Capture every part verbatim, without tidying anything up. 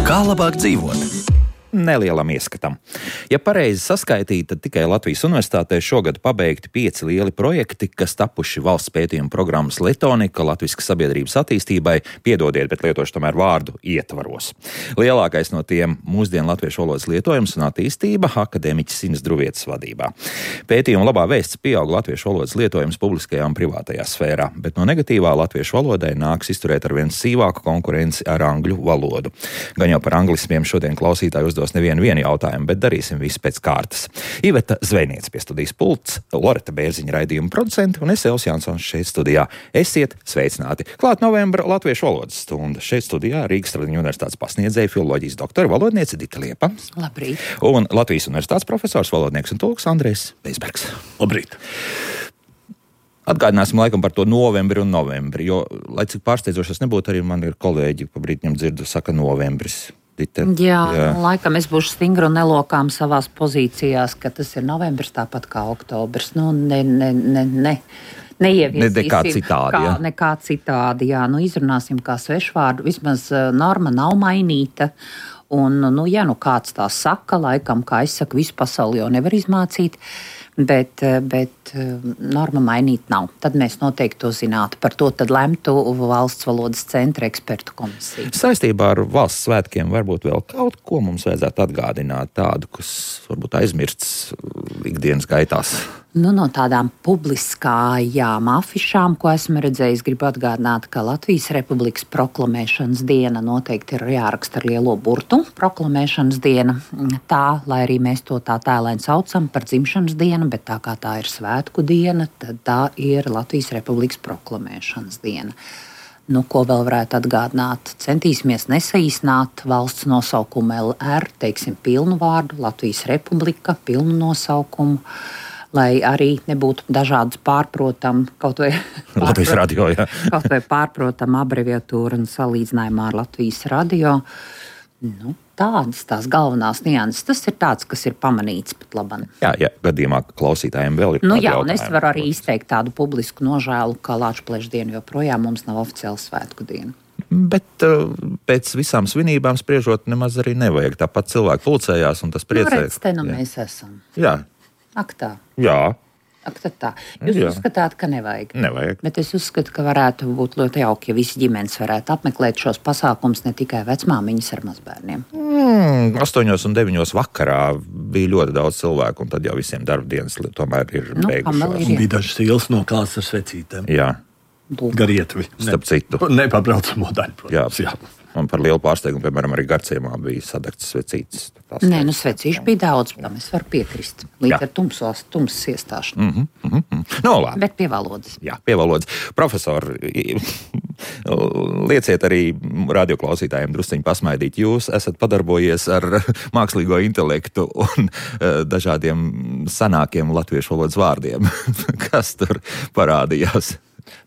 Kā labāk dzīvot? Nelielam ieskatam. Ja pareizi saskaitīja, tad tikai Latvijas Universitātē šogad pabeigti pieci lieli projekti, kas tapuši valsts pētījuma programmas Letonika Latviskas sabiedrības attīstībai, piedodiet, bet lietošu tomēr vārdu ietvaros. Lielākais no tiem mūsdienu latviešu valodas lietojums un attīstība akadēmiķis Inas Druvietes vadībā. Pētījuma labā vēsts pieaug latviešu valodas lietojums publiskajā un privātajā sfērā, bet no negatīvā latviešu valodai nāks izturēt ar vien sīvāku konkurenci ar angļu valodu. Gan jau par anglismiem šodien klausītāji uzdos nevienu vienu jautājumu, bet darīsim visu pēc kārtas. Iveta Zvejniece pie studijas pults, Loreta Bērziņa raidījuma producenti un es Elvis Jansons šeit studijā. Esiet sveicināti! Klāt novembra latviešu valodas stunda. Šeit studijā Rīgas Tradiņu universitātes pasniedzēja filoloģijas doktora valodniece Dita Liepa. Labrīt! Un Latvijas universitātes profesors, valodnieks un tulks Andrejs Beizbergs. Labrīt! Atgādināsim laikam par to novembri un novembri, jo, lai cik pārsteidzošas nebūtu, arī man ir kolēģi, pa brītņam dzirdu, saka novembris. Dita, jā, jā, laikam es būšu stingri un nelokām savās pozīcijās, ka tas ir novembris tāpat kā oktobris. Nu, ne, ne, ne, ne. Neieviesīsim, nekā citādi, kā, ja? nekā citādi, jā, nu izrunāsim kā svešvārdu, vismaz norma nav mainīta, un, nu, ja nu kāds tā saka, laikam, kā es saku, visu pasauli jau nevar izmācīt, bet, bet norma mainīt nav. Tad mēs noteikti to zinātu. Par to tad lemtu valsts valodas centra ekspertu komisija. Saistībā ar valsts svētkiem varbūt vēl kaut ko mums vajadzētu atgādināt tādu, kas varbūt aizmirsts ikdienas gaitās. Nu, no tādām publiskājām afišām, ko esmu redzējis, gribu atgādināt, ka Latvijas Republikas proklamēšanas diena noteikti ir jāraksta ar lielo burtu. Proklamēšanas diena tā, lai arī mēs to tā tēlēni saucam par dzimšanas dienu, bet tā kā tā ir svētku diena, tad tā ir Latvijas Republikas proklamēšanas diena. Nu, ko vēl varētu atgādināt? Centīsimies nesaīsināt valsts nosaukumu L R, teiksim pilnu vārdu, Latvijas Republika, pilnu nosaukumu, lai arī nebūtu dažādas pārprotam, kaut vai, Latvijas radio, jā. kaut vai pārprotam abreviatūra un salīdzinājumā ar Latvijas radio. Nu, tādas tās galvenās nianses. Tas ir tāds, kas ir pamanīts pat labam. Jā, jā, gadījumā klausītājiem vēl ir Nu tādi jā, un jautājumi. es varu arī izteikt tādu publisku nožēlu, ka Lāčplēša diena joprojām mums nav oficiāla svētku diena. Bet uh, pēc visām svinībām spriežot nemaz arī nevajag. Tāpat cilvēki pulcējās un tas priecē. Nu, redz, te nu mēs esam. Jā. Ak tā. Jā. Ak tad tā. Jūs Jā. uzskatāt, ka nevajag? Nevajag. Bet es uzskatu, ka varētu būt ļoti jauki, ja visi ģimenes varētu apmeklēt šos pasākumus, ne tikai vecmāmiņas ar mazbērniem. Mm, astoņos un deviņos vakarā bija ļoti daudz cilvēku, un tad jau visiem darba dienas tomēr ir Nu, beigušās. kam vēl ir? Un bija dažas ielas no kāds ar svecītēm. Jā, Garietvi. starp citu. Nepabraucamo daļu, protams. Jā. Man par lielu pārsteigumu, piemēram, arī Garciemā bija sadegts svecītes. Nē, nu svecīšu bija daudz, tam es varu piekrist. Līdz Jā. ar tumsos, tumsas iestāšanu. Mm -hmm, mm -hmm. No, labi. Bet pie valodas. Jā, pie valodas. Profesori, lieciet arī radioklausītājiem drusciņi pasmaidīt. Jūs esat padarbojies ar mākslīgo intelektu un dažādiem senākiem latviešu valodas vārdiem. Kas tur parādījās?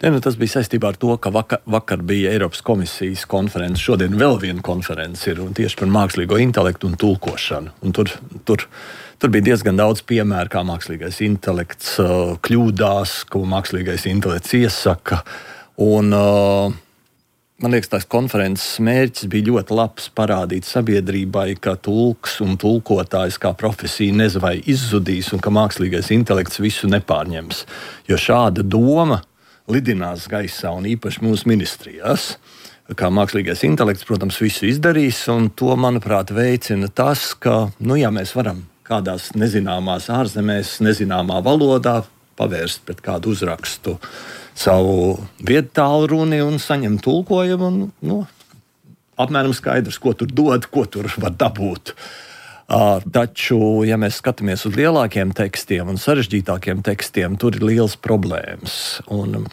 Ne, nu, tas bija saistībā ar to, ka vakar, vakar bija Eiropas komisijas konference. Šodien vēl viena konference ir un tieši par mākslīgo intelektu un tulkošanu. Un tur, tur, tur bija diezgan daudz piemēru, kā mākslīgais intelekts uh, kļūdās, ko mākslīgais intelekts iesaka. Un, uh, man liekas, tās konferences mērķis bija ļoti labs parādīt sabiedrībai, ka tulks un tulkotājs kā profesija nezinu vai izzudīs un ka mākslīgais intelekts visu nepārņems. Jo šāda doma lidinās gaisā un īpaši mūsu ministrijās. Kā mākslīgais intelekts, protams, visu izdarīs, un to, manuprāt, veicina tas, ka, nu, ja mēs varam kādās nezināmās ārzemēs, nezināmā valodā pavērst pret kādu uzrakstu savu viedtālruni un saņemt tulkojumu, un, nu, apmēram skaidrs, ko tur dod, ko tur var dabūt. Uh, taču, ja mēs skatāmies uz lielākiem tekstiem un sarežģītākiem tekstiem, tur ir liels problēmas. Un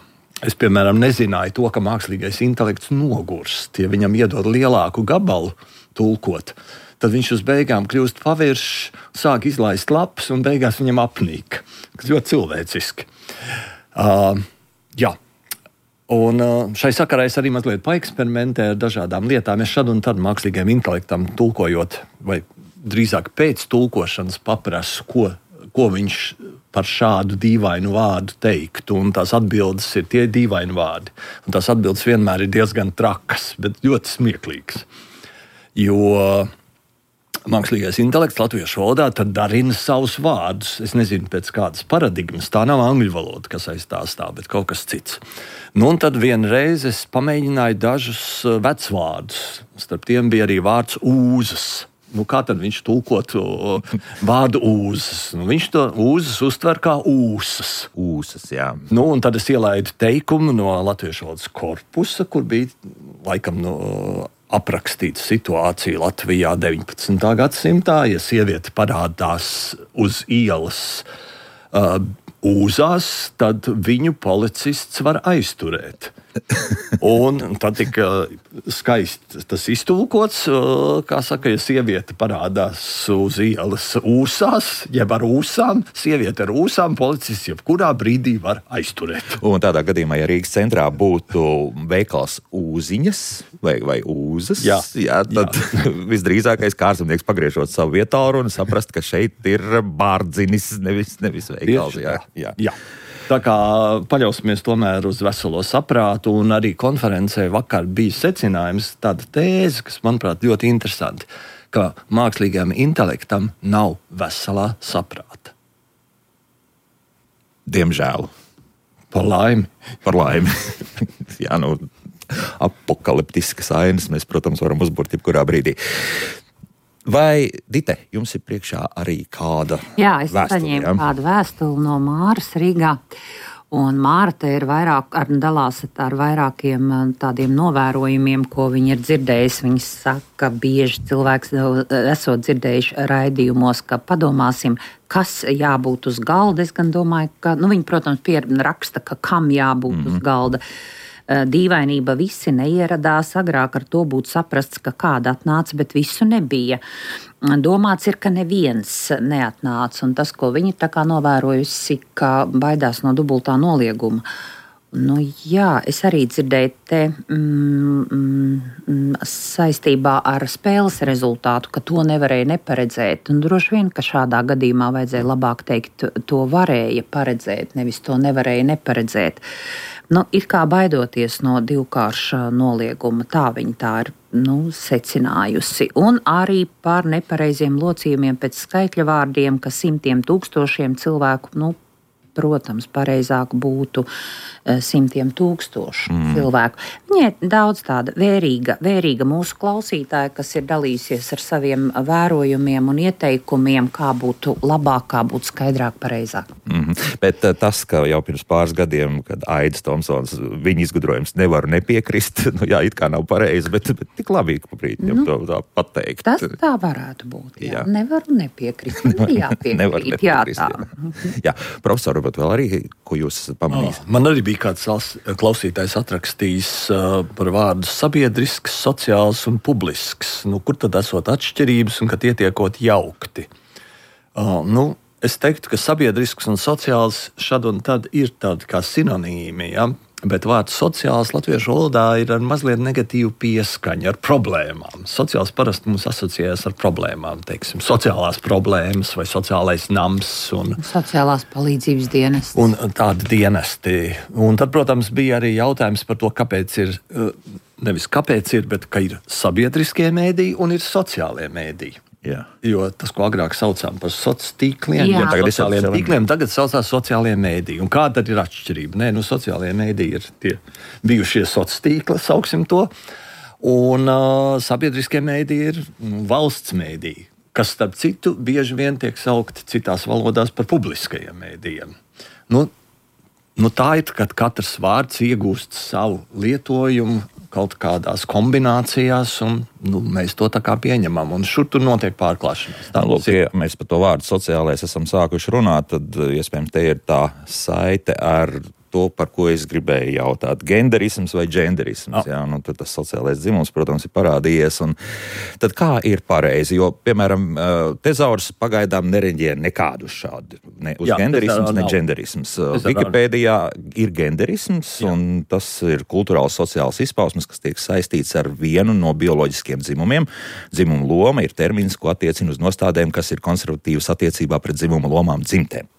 es, piemēram, nezināju to, ka mākslīgais intelekts nogurst. Ja viņam iedod lielāku gabalu tulkot, tad viņš uz beigām kļūst paviršs, sāk izlaist lapas un beigās viņam apnīk. Tas ļoti cilvēciski. Uh, jā. Un šai sakarā es arī mazliet paeksperimentēju ar dažādām lietām. Es šad un tad mākslīgajam intelektam tulkojot, vai drīzāk pēc tulkošanas paprasu, ko, ko viņš par šādu dīvainu vārdu teiktu. Un tās atbildes ir tie dīvaini vārdi. Un tās atbildes vienmēr ir diezgan trakas, bet ļoti smieklīgas. Jo mākslīgais intelekts latviešu valodā tad darina savus vārdus. Es nezinu, pēc kādas paradigmas. Tā nav angļu valoda, kas aiz tā stāv, bet kaut kas cits. Nu, un tad vienreiz es pamēģināju dažus vecvārdus. Starp tiem bija arī vārds ūzas. Nu, kā tad viņš tulkotu vārdu ūzas? Nu, viņš to ūzas uztver kā ūsas. Ūsas, jā. Nu, un tad es ielaidu teikumu no latviešu valodas korpusa, kur bija laikam no aprakstīta situācija Latvijā deviņpadsmitā gadsimtā. Ja sieviete parādās uz ielas uh, ūzās, tad viņu policists var aizturēt. Un tad tika skaisti tas iztulkots, kā saka, ja sieviete parādās uz ielas ūsās, jeb ar ūsām, sieviete ar ūsām, policists jebkurā brīdī var aizturēt. Un tādā gadījumā, ja Rīgas centrā būtu veikals Ūziņas vai, vai Ūzas, jā, jā, tad jā. Visdrīzākais kārzemnieks pagriežot savu vietālu un saprast, ka šeit ir bārdzinis, nevis, nevis veikals. Jā, jā. jā. Tā kā paļausimies tomēr uz veselo saprātu, un arī konferencē vakar bija secinājums, tāda tēze, kas, manuprāt, ļoti interesanti, ka mākslīgajam intelektam nav veselā saprāta. Diemžēl. Par laimi. Par laimi. Jā, nu, apokaliptiskas ainas mēs, protams, varam uzburt jebkurā brīdī. Vai, Dite, jums ir priekšā arī kāda Jā, es vēstuli, saņēmu ja? kādu vēstuli no Māras Rīgā. Un Māra te ir vairāk, ar, dalās ar vairākiem tādiem novērojumiem, ko viņa ir dzirdējusi. Viņa saka, bieži cilvēks esot dzirdējuši raidījumos, ka padomāsim, kas jābūt uz galda. Es gan domāju, ka, nu, viņa, protams, pieraksta, ka kam jābūt mm-hmm. uz galda. Dīvainība visi neieradās, agrāk ar to būtu saprasts, ka kāda atnāca, bet visu nebija. Domāts ir, ka neviens neatnāca, un tas, ko viņi tā kā novērojusi, ka baidās no dubultā nolieguma. Nu, jā, es arī dzirdēju te mm, mm, saistībā ar spēles rezultātu, ka to nevarēja neparedzēt. Un droši vien, ka šādā gadījumā vajadzēja labāk teikt, to varēja paredzēt, nevis to nevarēja neparedzēt. Nu, it kā baidoties no divkārša nolieguma, tā viņa tā ir nu, secinājusi. Un arī par nepareiziem locījumiem pēc skaitļa vārdiem, ka simtiem tūkstošiem cilvēku, nu, protams, pareizāk būtu simtiem tūkstošu mm. cilvēku. Viņai ir daudz tāda vērīga, vērīga mūsu klausītāja, kas ir dalījusies ar saviem vērojumiem un ieteikumiem, kā būtu labāk, kā būtu skaidrāk, pareizāk. Mm-hmm. Bet tas, ka jau pirms pāris gadiem, kad Aidis Tomsons, viņa izgudrojums nevaru nepiekrist, nu jā, it kā nav pareizi, bet, bet tik labi, ka brīd viņam nu, to tā pateikt. Tas tā varētu būt, jā. jā. Nevaru nepiekrist, nu, jāpiekrīt. Nevaru nepiekrist, jā, tā. Jā, profesor, bet vēl arī, ko jūs esat pamanījis? Oh, man arī bija kāds klausītājs atrakstījis uh, par vārdu sabiedrisks, sociāls un publisks. Nu, kur tad esot atšķirības un ka tie tiekot jaukti? Uh, nu, es teiktu, ka sabiedrisks un sociāls šad un tad ir tādi kā sinonīmi, ja? Bet vārds sociāls latviešu valodā ir ar mazliet negatīvu pieskaņu, ar problēmām. Sociāls parasti mums asociējas ar problēmām, teiksim, sociālās problēmas vai sociālais nams. Un, sociālās palīdzības dienesti. Un tādi dienesti. Un tad, protams, bija arī jautājums par to, kāpēc ir, nevis kāpēc ir, bet ka ir sabiedriskie mēdīji un ir sociālie mēdīji. Jā. Jo tas, ko agrāk saucām par sociāliem tīkliem, ja tagad ir sociāliem tīkliem, tagad saucās sociālie mēdīji. Un kāda tad ir atšķirība? Nē, nu, sociālie mēdīji ir tie bijušie sociālie tīkli, sauksim to, un uh, sabiedriskie mēdīji ir nu, valsts mēdīji, kas, starp citu, bieži vien tiek saukti citās valodās par publiskajiem mēdījiem. Nu, nu, tā ir, kad katrs vārds iegūst savu lietojumu kaut kādās kombinācijās, un nu, mēs to tā kā pieņemam, un šur tur notiek pārklāšanās. Tā, lūk, ja mēs par to vārdu sociālais esam sākuši runāt, tad iespējams te ir tā saite ar to, par ko es gribēju jautāt. Genderisms vai dženderisms? Oh. Jā, nu, tad tas sociālais dzimums, protams, ir parādījies. Un tad kā ir pareizi? Jo, piemēram, tezaurs pagaidām nereģē nekādu šādu. Ne uz jā, genderisms, ne dženderisms. Wikipēdijā ir genderisms, jā. Un tas ir kulturāls sociāls izpausmes, kas tiek saistīts ar vienu no bioloģiskiem dzimumiem. Dzimuma loma ir termins, ko attiecina uz nostādēm, kas ir konservatīvas attiecībā pret dzimuma lomām dzimtēm.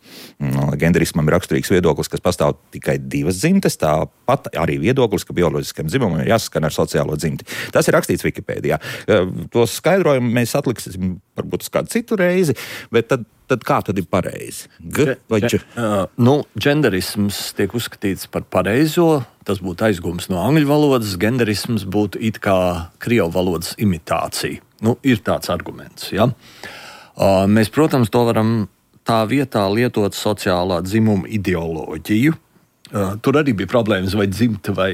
Genderismam ir raksturīgs viedoklis, kas pastāv tikai divas dzimtes, tāpat arī viedoklis, ka bioloģiskam dzimumam ir jāsaskan ar sociālo dzimti. Tas ir rakstīts Wikipēdijā. To skaidrojumu mēs atliksim varbūt uz kādu citu reizi, bet tad, tad kā tad ir pareizi? G vai dž? Uh, nu, genderisms tiek uzskatīts par pareizo, tas būtu aizgūms no angļu valodas, genderisms būtu it kā krievu valodas imitācija. Nu, ir tāds arguments, ja? Uh, mēs, protams, to varam tā vietā lietot sociālā dzimuma ideoloģiju. Uh, tur arī bija problēmas vai dzimta vai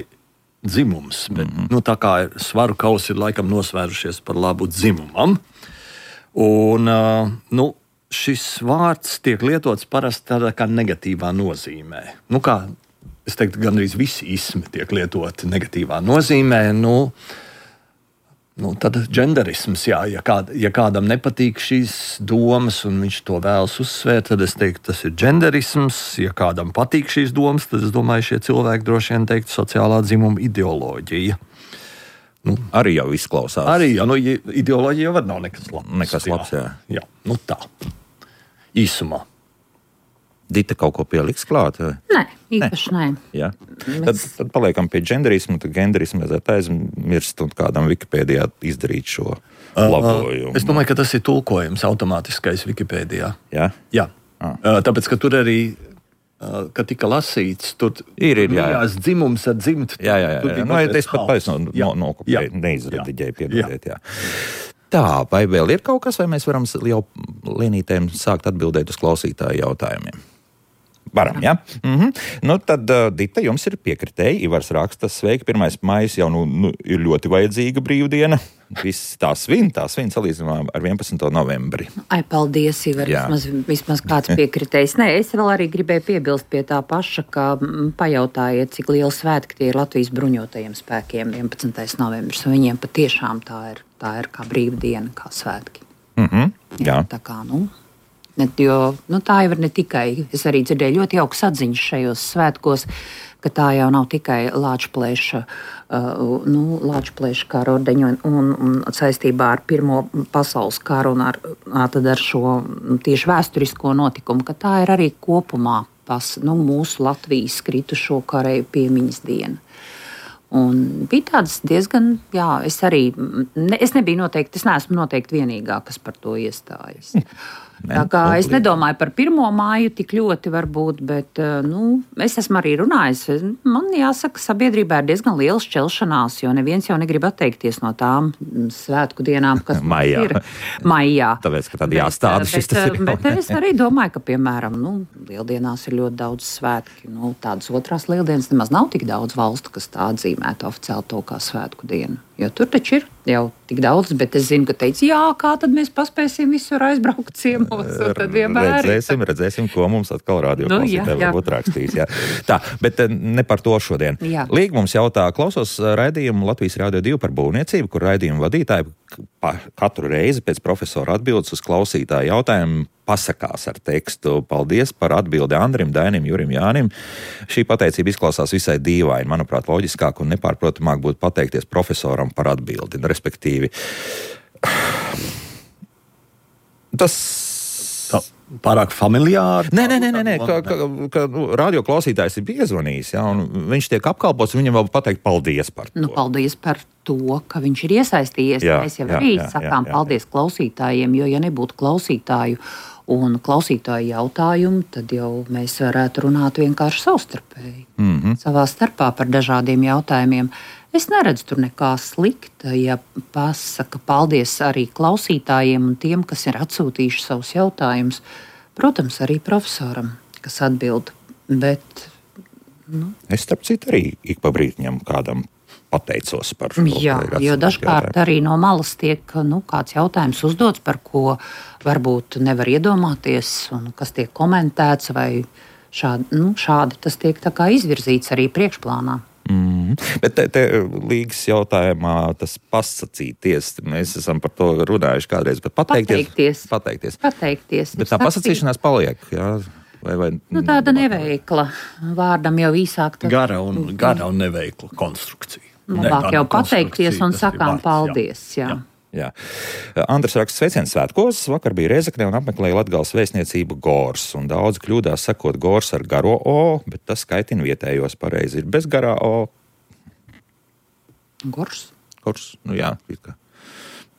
dzimums, bet mm-hmm. nu, tā kā svaru kausi ir laikam nosvērušies par labu dzimumam. Un uh, nu, šis vārds tiek lietots parasti tādā kā negatīvā nozīmē. Nu, kā es teiktu, gandrīz visi ismi tiek lietoti negatīvā nozīmē. Nu, Nu, tad genderisms, jā, ja, kād, ja kādam nepatīk šīs domas un viņš to vēlas uzsvērt, tad es teiktu, tas ir genderisms. Ja kādam patīk šīs domas, tad es domāju, šie cilvēki droši vien teiktu sociālā dzimuma ideoloģija. Nu, arī jau izklausās. Arī, jā, nu, ideoloģija jau var nav nekas labs. Nekas labs, jā. Jā, jā, nu tā. Īsumā. Dita kaut ko pieliks klāt? Vai? Nē, īpaši nē. nē. Tad, tad paliekam pie genderismu, tad genderismu vajadzētu aizmirst un kādam Wikipēdijā izdarīt šo labojumu. Uh, es domāju, ka tas ir tulkojums automātiskais Wikipēdijā. Jā? Jā. Ah. Uh, tāpēc, ka tur arī, uh, kad tika lasīts, tur ir, ir, jā, jā. dzimums ar dzimtu. Jā, jā, jā. jā. Nu, es pat pēc no, no, nokopēju, neizrediģēju, piedodiet, jā. Tā, vai vēl ir kaut kas, vai mēs varam jau lienītēm sākt atbildēt uz klausītāju jautājumiem? Varam, jā? Mhm. Nu, tad, uh, Dita, jums ir piekritēji. Ivars raksta, sveiki, pirmais maijs jau nu, nu, ir ļoti vajadzīga brīvdiena. Viss tā svin, tā svin salīdzinājumā ar vienpadsmito novembri. Ai, paldies, Ivar, vismaz, vismaz kāds piekritējs. Nē, es vēl arī gribēju piebilst pie tā paša, ka m, pajautājiet, cik liela svētki tie ir Latvijas bruņotajiem spēkiem vienpadsmitais novembris. Un viņiem patiešām tā ir, tā ir kā brīvdiena, kā svētki. Mhm, jā. jā. Tā kā, nu... Ne, jo, nu, tā jau ir ne tikai, es arī dzirdēju ļoti jaukas atziņas šajos svētkos, ka tā jau nav tikai Lāčplēša, uh, nu, Lāčplēša kara ordeņu un, un, un saistībā ar Pirmo pasaules karu un ar, tad ar šo tieši vēsturisko notikumu, ka tā ir arī kopumā pas, nu, mūsu Latvijas kritušo karēju piemiņas diena. Un bija tāds diezgan, jā, es arī, ne, es nebiju noteikti, es neesmu noteikti vienīgā, kas par to iestājas. Tā kā es nedomāju par pirmo māju tik ļoti varbūt, bet, nu, es esmu arī runājis. Man jāsaka, sabiedrībā ir diezgan liela šķelšanās, jo neviens jau negrib atteikties no tām svētku dienām, kas maijā. ir maijā. Tāpēc, ka tad jāstāda šis tas ir. Bet es arī domāju, ka, piemēram, nu, lieldienās ir ļoti daudz svētki. Nu, tādas otrās lieldienas nemaz nav tik daudz valstu, kas tā atzīmētu oficiāli to kā svētku dienu. Jo tur taču ir jau tik daudz, bet es zinu, ka teica, jā, kā tad mēs paspēsim visur aizbraukt ciemos, un tad vienmēr redzēsim, redzēsim, ko mums atkal radio nu, klausītāji varbūt rakstīs. Jā. Tā, bet ne par to šodien. Jā. Līga mums jautā, klausos raidījumu Latvijas Rādio divi par būvniecību, kur raidījumu vadītāji katru reizi pēc profesora atbildes uz klausītāju jautājumu pasakās ar tekstu. Paldies par atbildi Andrim, Dainim, Jurim, Jānim. Šī pateicība izklausās visai dīvaini. Manuprāt, loģiskāk un nepārprotamāk būtu pateikties profesoram par atbildi. Respektīvi, tas... Tā, pārāk familiāri? Nē, nē, nē, nē, nē ka, ka, ka radio klausītājs ir piezvanījis, ja, un viņš tiek apkalpots, viņam vēl pateikt paldies par to. Nu, paldies par to, ka viņš ir iesaistījies. Jā, Mēs jau jā, arī jā, sakām jā, jā, paldies jā. klausītājiem, jo ja nebūtu klausītāju un klausītāju jautājumu, tad jau mēs varētu runāt vienkārši savstarpēji. Mm-hmm. Savā starpā par dažādiem jautājumiem. Es neredzu tur nekā slikta, ja pasaka paldies arī klausītājiem un tiem, kas ir atsūtījuši savus jautājumus. Protams, arī profesoram, kas atbild. Bet, nu. Es starp citu arī ik pa brītiņam kādam pateicos par šo. Jā, jo dažkārt arī no malas tiek nu, kāds jautājums uzdots, par ko varbūt nevar iedomāties un kas tiek komentēts vai šādi, nu, šādi tas tiek tā kā izvirzīts arī priekšplānā. Mm. Bet te, te līgas jautājumā tas pasacīties, mēs esam par to runājuši kādreiz, bet pateikties. Pateikties. Pateikties. pateikties. Bet tā pasacīšanās paliek, jā? Vai, vai, nu, tāda neveikla. Vārdam jau īsāk. Tad... Gara un, gara un neveikla konstrukcija. Labāk ne, jau pateikties un sakām vārds, paldies, jā. jā. Jā. Andris raksta sveiciens svētkos. Vakar bija Rēzekne un apmeklēja Latgales vēstniecību Gors. Un daudz kļūdās sakot Gors ar garo O, bet tas skaitina vietējos pareizi. Ir bez garā O. Gors? Gors, nu jā.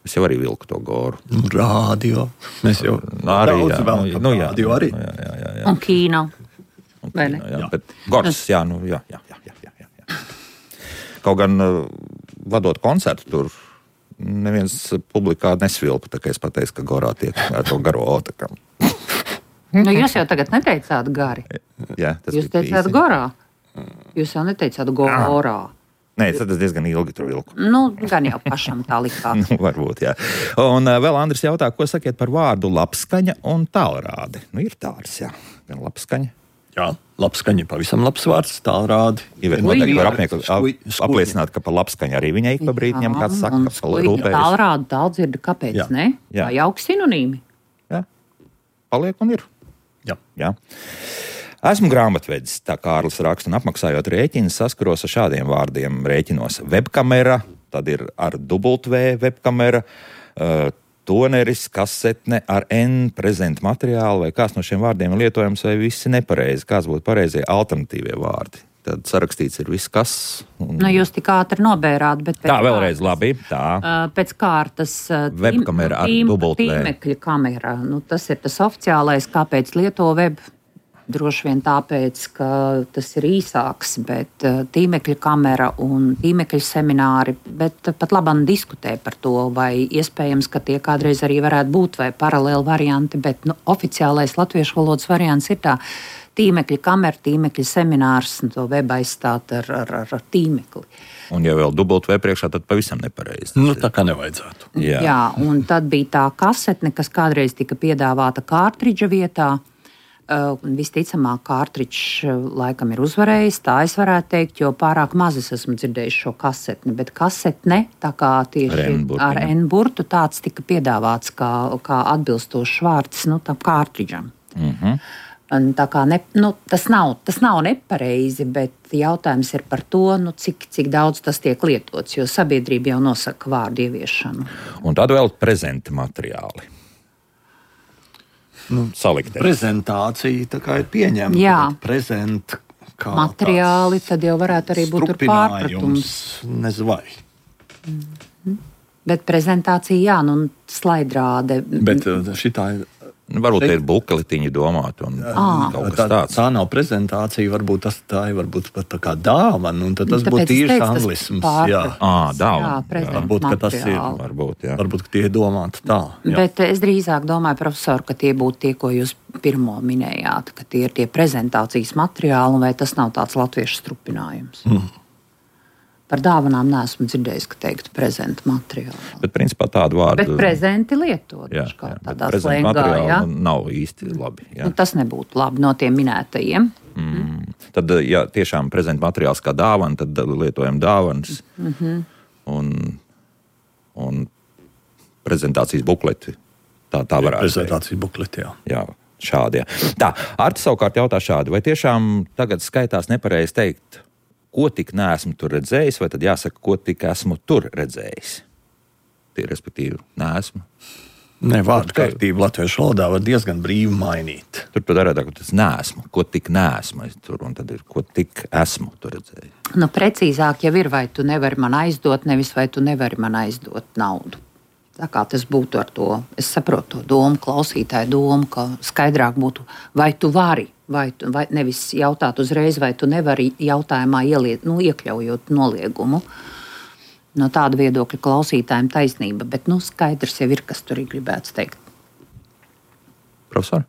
Es jau arī vilku to Goru. Radio. Mēs jau arī, daudz jā, vēl nu, nu, jā, radio arī. Jā, jā, jā, jā. Un Kīna. Un Kīna, jā. jā. Bet Gors, jā, nu jā, jā, jā, jā, jā, jā. Kaut gan vadot koncertu tur, neviens publikā nesvilpa, tā kā es pateicu, ka Gorā tiek ar to garo O. Nu, jūs jau tagad neteicāt gari. Jā, tas jūs teicāt īsi. Gorā. Jūs jau neteicāt Gorā. Nē, tad es diezgan ilgi tur vilku. Nu, gan jau pašam tā likās. nu, varbūt, jā. Un uh, vēl Andris jautā, ko sakiet par vārdu labskaņa un tālrādi? Nu, ir tāds, jā. Gan labskaņa. Jā, labskaņa, pavisam labs vārds, tālrādi. Ivēt noteikti var apnieku, apliecināt, ka par labskaņu arī viņai ik pa brīdi ņem kāds saka, ka rūpējas. Tālrādi tāldzirdi, kāpēc jā. Ne? Jā. Vai jauki sinonīmi? Jā, paliek un ir. Jā. Jā. Esmu grāmatvedis, tā Kārlis raksta, un apmaksājot rēķinus saskaros ar šādiem vārdiem rēķinos. Webkamera, tad ir ar dubult V webkamera, uh, toneris, kasetne ar N prezentu materiālu, vai kāds no šiem vārdiem ir lietojams, vai visi nepareizi, kāds būtu pareizie alternatīvie vārdi. Tad sarakstīts ir viss, kas... Un... Nu, jūs tik ātri nobērāt, bet... Tā, vēlreiz labi, tā. Uh, pēc kārtas... Uh, Webkamera ar dubult V. Tīmekļa kamera, nu, tas ir tas oficiālais, kāpēc lieto web... Droši vien tāpēc, ka tas ir īsāks, bet tīmekļa kamera un tīmekļa semināri, bet pat labam diskutē par to, vai iespējams, ka tie kādreiz arī varētu būt vai paralēli varianti, bet nu, oficiālais latviešu valodas variants ir tā tīmekļa kamera, tīmekļa seminārs un to web aizstāt ar, ar, ar, ar tīmekli. Un ja vēl dubult V priekšā, tad pavisam nepareizi. Nu, tā kā nevajadzētu. Jā. Jā, un tad bija tā kasetne, kas kādreiz tika piedāvāta kārtridža vietā. Uh, visticamāk, kārtridžs laikam ir uzvarējis, tā es varētu teikt, jo pārāk maz es esmu dzirdējis šo kasetni, bet kasetne, tā kā tieši ar N-burtu, tāds tika piedāvāts kā, kā atbilstošs vārds, nu, tam kārtridžam. Mhm. Un tā kā ne, nu, tas, nav, tas nav nepareizi, bet jautājums ir par to, nu, cik, cik daudz tas tiek lietots, jo sabiedrība jau nosaka vārdu ieviešanu. Un tad vēl prezenta materiāli. Nu, saliktē. Prezentācija tā kā ir pieņemta. Jā. Prezent kā materiāli, tad jau varētu arī būt tur pārpratums. Nezinu vai. Mm-hmm. Bet prezentācija, jā, nu, slaidrāde. Bet šitā ir... Varbūt šeit... ir bukletiņi domāt un à. Kaut kas tā, tāds. Tā nav prezentācija, varbūt tas tā ir varbūt pat tā kā dāvana, un tad tas būtu tīrs anglisms. Jā, à, dāvana. Jā, varbūt, ka tas ir, varbūt, jā. Varbūt, ka tie ir domāti tā. Jā. Bet es drīzāk domāju, profesor, ka tie būtu tie, ko jūs pirmo minējāt, ka tie ir tie prezentācijas materiāli, vai tas nav tāds latviešu strupinājums. Mm. Par dāvanām neesmu dzirdējis, ka teiktu prezentu materiālu. Bet, principā, tādu vārdu... Bet prezenti lietot. Jā, kā jā, tādā prezentu slēngā, jā. materiālu nav īsti labi. Jā. Nu, tas nebūtu labi no tiem minētajiem. Mm. Tad, ja tiešām prezentu materiāls kā dāvana, tad lietojam dāvanas. Mm-hmm. Un, un prezentācijas bukleti. Tā, tā varētu būt. Prezentācijas bukleti, jā. Jā, šādi, jā. Tā, Arti savukārt jautā šādi. Vai tiešām tagad skaitās nepareizi teikt, ko tik neesmu tur redzējis, vai tad jāsaka, ko tik esmu tur redzējis? Tie, respektīvi, neesmu. Ne, vārdu kārtību latviešu valodā var diezgan brīvi mainīt. Tur pat arī tā, ka tas neesmu, ko tik neesmu tur, un tad ir, ko tik esmu tur redzējis. Nu, precīzāk jau ir, vai tu nevari man aizdot, nevis vai tu nevari man aizdot naudu. Tā kā tas būtu ar to, es saprotu to domu, klausītāju domu, ka skaidrāk būtu, vai tu vari, vai, tu, vai nevis jautāt uzreiz, vai tu nevari jautājumā ieliet, nu, iekļaujot noliegumu. No tāda viedokļa klausītājiem taisnība, bet nu, skaidrs jau ir, kas tur ir gribēts teikt. Profesor?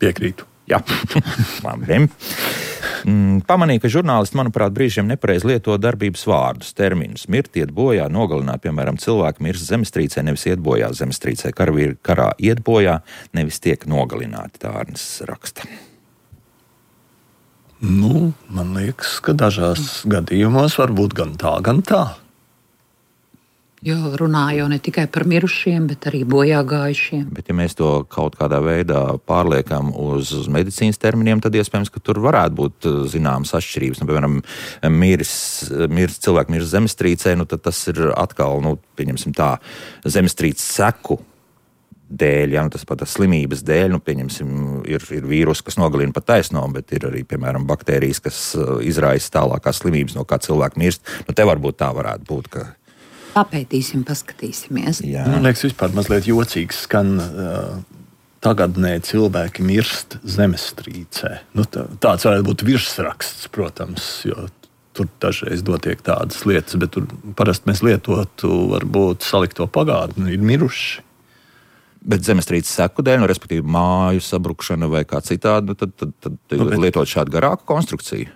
Piekrītu. Jā, labi. Pamanīju, ka žurnālisti, manuprāt, brīžiem nepareiz lieto darbības vārdus, terminus. Mirt, iet bojā, nogalināt, piemēram, cilvēki mirst zemestrīcē, nevis iet bojā zemestrīcē. Karavīri karā iet bojā, nevis tiek nogalināti, tā Arnis raksta. Nu, man liekas, ka dažās gadījumos var būt gan tā, gan tā. Jo runā jau ne tikai par mirušiem, bet arī bojā gājušiem. Bet, ja mēs to kaut kādā veidā pārliekam uz, uz medicīnas terminiem, tad iespējams, ka tur varētu būt zināmas atšķirības. Nu, piemēram, miris, miris, cilvēki miris zemestrīcē, nu, tad tas ir atkal, nu, pieņemsim tā, zemestrīces seku dēļ, ja, nu, tas pat slimības dēļ, nu, pieņemsim, ir, ir vīrusi, kas nogalina pat taisno, bet ir arī, piemēram, baktērijas, kas izraisa tālākās slimības, no kā cilvēki mirst. Nu, te varbūt tā varētu būt, ka papētīsim, paskatīsimies. Jā. Man liekas, vispār mazliet jocīgi skan uh, tagadnē cilvēki mirst zemestrīcē. Nu, tā, tāds varētu būt virsraksts, protams, jo tur dažreiz notiek tādas lietas, bet tur parasti mēs lietotu varbūt salikto pagātni, ir miruši. Bet zemestrīces seku dēļ, nu, respektīvi māju sabrukšana vai kā citādi, tad, tad, tad nu, bet lietot šādu garāku konstrukciju.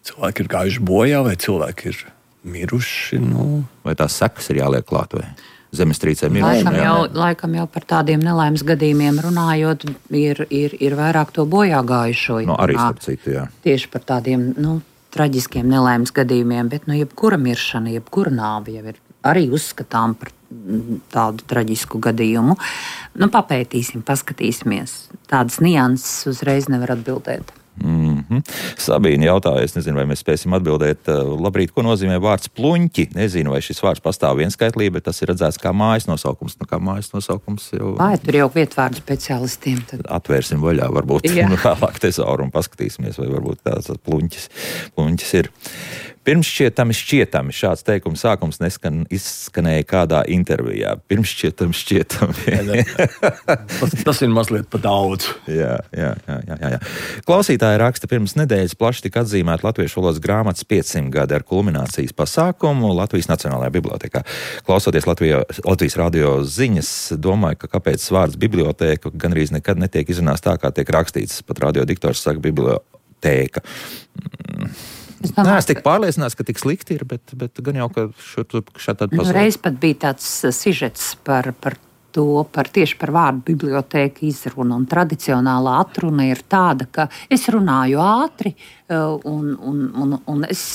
Cilvēki ir gājuši bojā vai cilvēki ir miruši, nu. Vai tās sekas ir jāliek klāt, vai zemestrīcē miruši? Laikam jau, laikam jau par tādiem nelaimes gadījumiem runājot, ir, ir, ir vairāk to bojā gājušo. No, arī starp citu, jā. Tieši par tādiem, nu, traģiskiem nelaimes gadījumiem, bet, nu, jebkura miršana, jebkura nāve jau ir arī uzskatām par tādu traģisku gadījumu. Nu, papētīsim, paskatīsimies. Tādas nianses uzreiz nevar atbildēt. Mm-hmm. Sabīne jautāja, es nezinu, vai mēs spēsim atbildēt. Labrīt, ko nozīmē vārds pluņķi? Nezinu, vai šis vārds pastāv vienskaitlī, bet tas ir redzēts kā mājas nosaukums. Nu, kā mājas nosaukums jau... Vai, tur jau vietvārdu speciālistiem. Tad... Atvērsim vaļā, varbūt vēlāk tezauru un paskatīsimies, vai varbūt tāds pluņķis, pluņķis ir. Pirmšķietami šķietami. Šāds teikums sākums neskan, izskanēja kādā intervijā. Pirmšķietami šķietami. tas, tas ir mazliet pa daudz. jā, jā, jā, jā, jā. Klausītāji raksta, pirms nedēļas plaši tika atzīmēta latviešu valodas grāmatas piecsimt gadi ar kulminācijas pasākumu Latvijas Nacionālajā bibliotēkā. Klausoties Latvijā, Latvijas radio ziņas, domāju, ka kāpēc vārds bibliotēka gandrīz nekad netiek izrunāts tā, kā tiek rakstīts. Pat radiodiktors saka bibliotēka. Es domāju, Nē, es tik pārliecināts, ka tik slikti ir, bet, bet gan jau, ka šur šādi nu, reiz pat bija tāds sižets par, par to, par tieši par vārdu bibliotēka izrunu, un tradicionālā atruna ir tāda, ka es runāju ātri, un, un, un, un es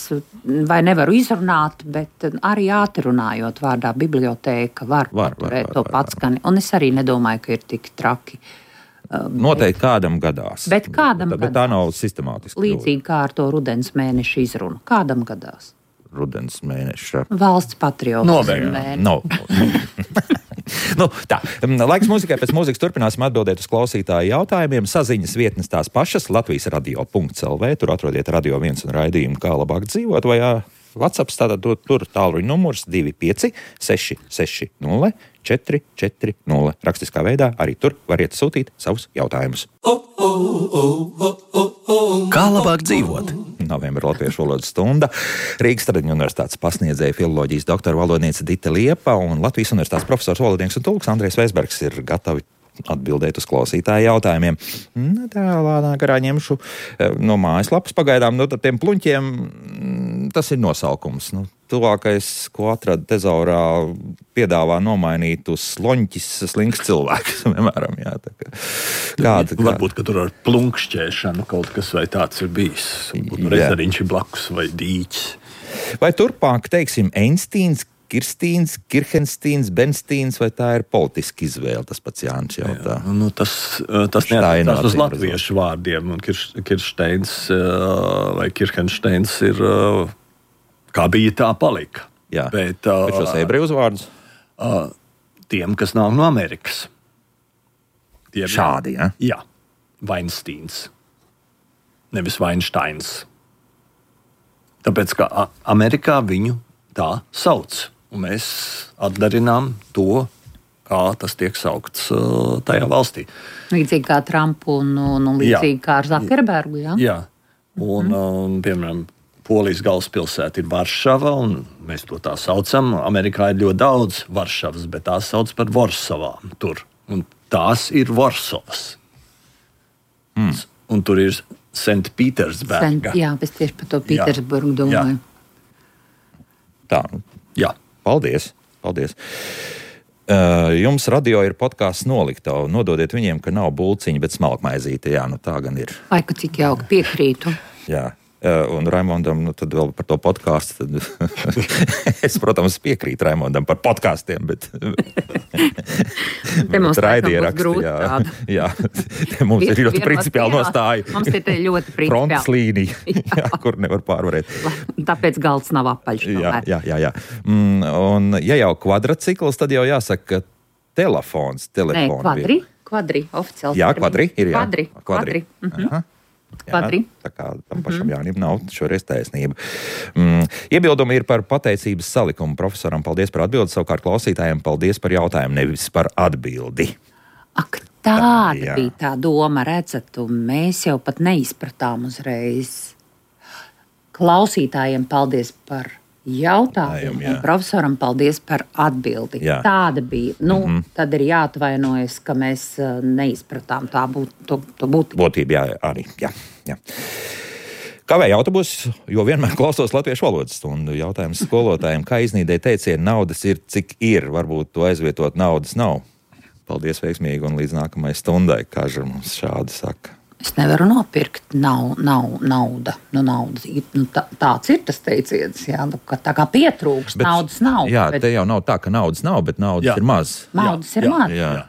vai nevaru izrunāt, bet arī ātri runājot vārdā bibliotēka var, var paturēt var, var, to patskani, un es arī nedomāju, ka ir tik traki. Noteikti kādam gadās. Bet kādam bet, bet tā nav sistemātiski. Līdzīgi kā ar to rudens mēneša izrunu. Kādam gadās? Rudens mēneša. Valsts patriotismu mēneša. No. nu, tā. Laiks mūzikai, pēc mūzikas turpināsim atbildēt uz klausītāju jautājumiem. Saziņas vietnes tās pašas, Latvijas radio punkts el vē. Tur atrodiet Radio viens un raidījumu Kā labāk dzīvot, vai jā, WhatsApp, tātad tur tālruņa numurs divi pieci seši seši nulle četri četri nulle. Rakstiskā veidā arī tur variet sūtīt savus jautājumus. Kā labāk dzīvot? Novembra latviešu valodas stunda. Rīgas Tradiņu universitātes pasniedzēja filoloģijas doktora valodniece Dita Liepa un Latvijas universitātes profesors valodnieks un tulks Andrejs Veisbergs ir gatavi atbildēt uz klausītāju jautājumiem. Nu, tā lānā garā ņemšu no mājaslapas pagaidām. Nu, tiem pluņķiem tas ir nosaukums. Nu, tuvākais, ko atrada tezaurā, piedāvā nomainīt uz sloņķis slinks cilvēks. Piemēram, jā, tā kā, kāda, kā... Varbūt, ka tur ar plunkšķēšanu kaut kas vai tāds ir bijis. Rezeriņš ir blakus vai dīķis. Vai turpāk, teiksim, Einsteins, Kirstīns, Kirhenstīns, Benstīns, vai tā ir politiska izvēle, tas pats Jānis jautā? Jā, nu tas tas neattiecās uz latviešu vārdiem, un Kirsteins vai Kirhensteins ir, kā bija, tā palika. Jā, bet, bet šos ebreju uzvārdus? Tiem, kas nāk no Amerikas. Tiem, šādi, ja? Jā, Weinsteins, nevis Weinsteins. Tāpēc, ka Amerikā viņu tā sauc. Un mēs atdarinām to, kā tas tiek saukts uh, tajā valstī. Līdzīgi kā Trumpu un, un, un līdzīgi jā. Kā ar Zakerbergu, jā? Jā. Un, mm. un, piemēram, Polijas galvaspilsēta ir Varšava, un mēs to tā saucam. Amerikā ir ļoti daudz Varšavas, bet tās sauc par Vorsavām tur. Un tās ir Vorsovas. Mm. Un tur ir Sent-Pītersberga. Jā, es tieši par to Pītersburgu domāju. Jā. Tā, jā. Paldies. Paldies. Uh, jums radio ir podkāsts Noliktava. Nododiet viņiem, ka nav bulciņa, bet smalkmaizīte. Jā, nu tā gan ir. Vai, ka cik jauki piekrītu. Jā. Uh, un Raimondam, nu tad vēl par to podkāstu. Es, protams, piekrītu Raimondam par podkāstiem, bet te mums raidieraksti, jā, jā, te mums ir ļoti principiāli nostāja. Mums ir te ļoti principiāli. Frontes līnija, jā, kur nevar pārvarēt. Tāpēc galds nav apaļš. Jā, jā, jā, jā. Mm, un ja jau kvadracikls, tad jau jāsaka, ka telefons, telefoni. Nē, kvadri, kvadri, oficiāli. Jā, kvadri ir, jā. Kvadri, kvadri. kvadri. Aha. Jā, tā kā tam pašam mm-hmm. Jānim nav šoreiz taisnība. Mm, iebildumi ir par pateicības salikumu. Profesoram paldies par atbildi, savukārt klausītājiem paldies par jautājumu, nevis par atbildi. Ak, tāda Jā. bija tā doma, redzat, un mēs jau pat neizpratām uzreiz. Klausītājiem paldies par jautājumu, un profesoram paldies par atbildi. Jā. Tāda bija. Nu, mm-hmm. Tad ir jāatvainojas, ka mēs uh, neizpratām tā būt, to, to būtību. Būtība, jā, arī. Jā, jā. Kavēja autobusu, jo vienmēr klausos latviešu valodas stundu. Jautājums skolotājiem, kā iznīdēja teicienu, naudas ir, cik ir. Varbūt to aizvietot naudas nav. Paldies veiksmīgi un līdz nākamai stundai, Kaža mums šādi saka. Es nevaru nopirkt nav, nav, nauda. Nu, nauda. Nu, tā, tāds ir tas teiciens, jā, nu, ka tā kā pietrūkst, bet, naudas nav. Jā, bet... te jau nav tā, ka naudas nav, bet naudas jā. ir maz. Naudas jā, ir maz. Jā, jā.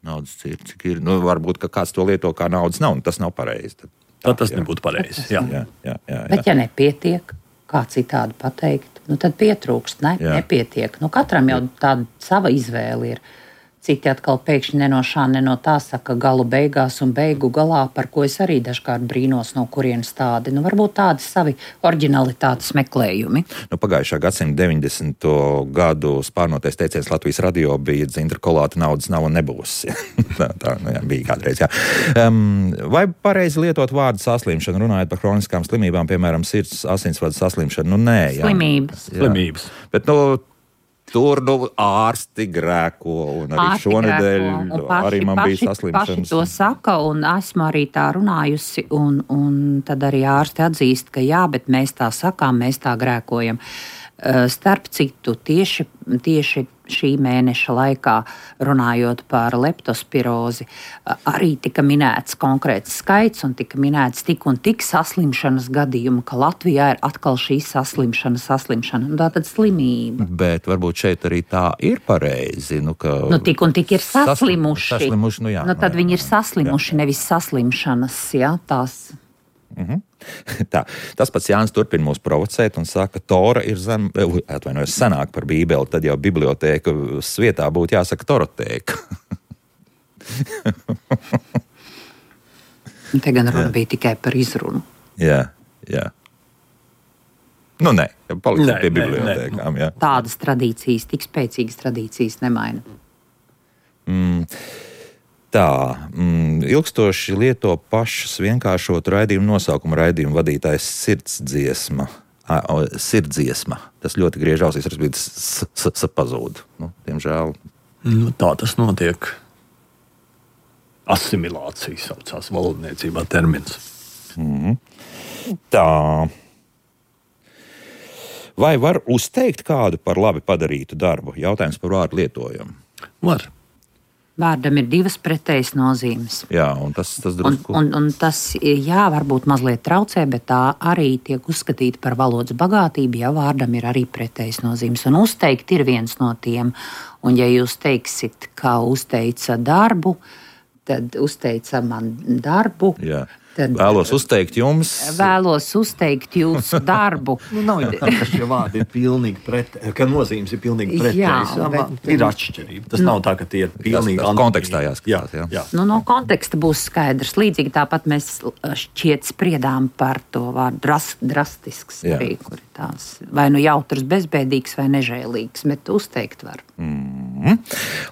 Naudas ir, cik ir. Nu, varbūt, ka kāds to lieto kā naudas nav, un tas nav pareizi. Tad, tā, tad tas jā. nebūtu pareizi. Jā. Jā, jā, jā, jā. Bet ja nepietiek, kā citādi pateikt, nu tad pietrūkst, ne? Nepietiek. Nu, katram jau tāda sava izvēle ir. Citi atkal pēkšņi ne no šā, ne no tā saka galu beigās un beigu galā, par ko es arī dažkārt brīnos, no kurienes tādi. Nu, varbūt tādi savi oriģinalitātes meklējumi. Nu, pagājušā gadsimta deviņdesmito gadu spārnotais teiciens Latvijas radio bija dzintra kolāta naudas nav un nebūs. tā tā nu, jā, bija kādreiz, jā. Um, vai pareizi lietot vārdu saslimšana, runājot par kroniskām slimībām, piemēram, sirds asinsvadu saslimšanu? Nu, nē, jā. Slimības. Jā. Slimības. Bet, nu, tur nu, ārsti grēko, un arī ārsti šonedēļ grēko, paši, arī man paši, bija saslimšanas. Paši to saka, un esmu arī tā runājusi, un, un tad arī ārsti atzīst, ka jā, bet mēs tā sakām, mēs tā grēkojam. Starp citu, tieši, tieši šī mēneša laikā, runājot par leptospirozi, arī tika minēts konkrēts skaits un tika minēts tik un tik saslimšanas gadījumu, ka Latvijā ir atkal šī saslimšana, saslimšana, un tā tad slimība. Bet varbūt šeit arī tā ir pareizi. Nu, ka nu, tik un tik ir saslimuši. saslimuši nu, jā, nu, tad nu, jā, viņi ir saslimuši, jā. nevis saslimšanas, jā, tās... Mhm. Tā, tas pats Jānis turpina mūs provocēt un saka, ka Tora ir zem, atvainojos, senāk par Bībeli, tad jau bibliotēka vietā būtu jāsaka torotēka. Te gan runa bija tikai par izrunu. Jā, jā. Nu, nē, paliksim pie bibliotēkām, jā. Tādas tradīcijas, tik spēcīgas tradīcijas nemaina. Mm. Tā, mm, ilgstoši lieto pašas vienkāršotu raidījumu nosaukumu raidījumu vadītājs sirdsdziesma. A, o, sirdsdziesma. Tas ļoti griež ausīs, tas pazūd. Nu, diemžēl. Nu, tā tas notiek. Asimilācija saucās valodniecībā termins. Mm. Tā. Vai var uzteikt kādu par labi padarītu darbu? Jautājums par vārdu lietojumu. Var. Vārdam ir divas pretējas nozīmes. Jā, un tas, tas drusku... Un, un, un tas, jā, varbūt mazliet traucē, bet tā arī tiek uzskatīta par valodas bagātību, ja vārdam ir arī pretējas nozīmes. Un uzteikt ir viens no tiem. Un ja jūs teiksit, kā uzteica darbu, tad uzteica man darbu. Jā. Tad vēlos uzteikt jums. Vēlos uzteikt jūsu darbu. Nu, nav jau tā, ka šie vārdi ir pilnīgi pretēji, ka nozīmes ir pilnīgi pretējas. Ir atšķirība. Tas nu, nav tā, ka tie ir pilnīgi tas, tas kontekstā jāskatās. Jā, jā. Nu, no konteksta būs skaidrs. Līdzīgi tāpat mēs šķiet spriedām par to vārdu dras, drastisks, arī, kur ir tās vai nu jautrs, bezbēdīgs vai nežēlīgs, bet uzteikt var. Mm-hmm.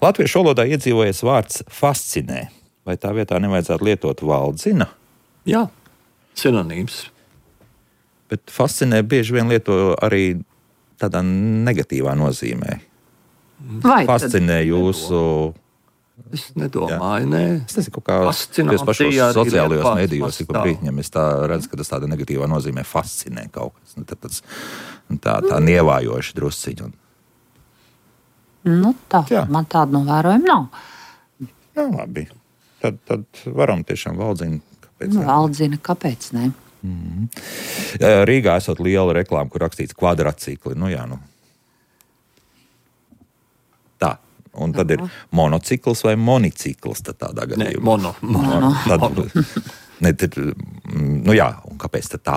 Latviešu valodā iedzīvojies vārds fascinē. Vai tā vietā nevajadzētu lietot valdzina? Jā, sinonīms. Bet fascinē bieži vien lieto arī tādā negatīvā nozīmē. Vai fascinē tad... jūsu... Es nedomāju, nē. Es nezinu, kaut kā jūs pašos sociālajos medijos, ik pa brītņiem, es tā redzu, ka tas tāda negatīvā nozīmē fascinē kaut kas. Nu, tad, tas, tā tā nievājoši drusciņi. Nu, tā, Jā. man tāda novērojuma nav. Jā, labi. Tad, tad varam tiešām Valdzina. Kāpēc? Nu, Valdzina, kāpēc ne? Mm-hmm. Rīgā esot liela reklāma, kur rakstīts kvadracikli. Nu jā, nu. Tā. Un tad ir monocikls vai monicikls tad tādā gadījumā. Nē, mono. mono. Tad, ne, tad, nu jā, un kāpēc tad tā?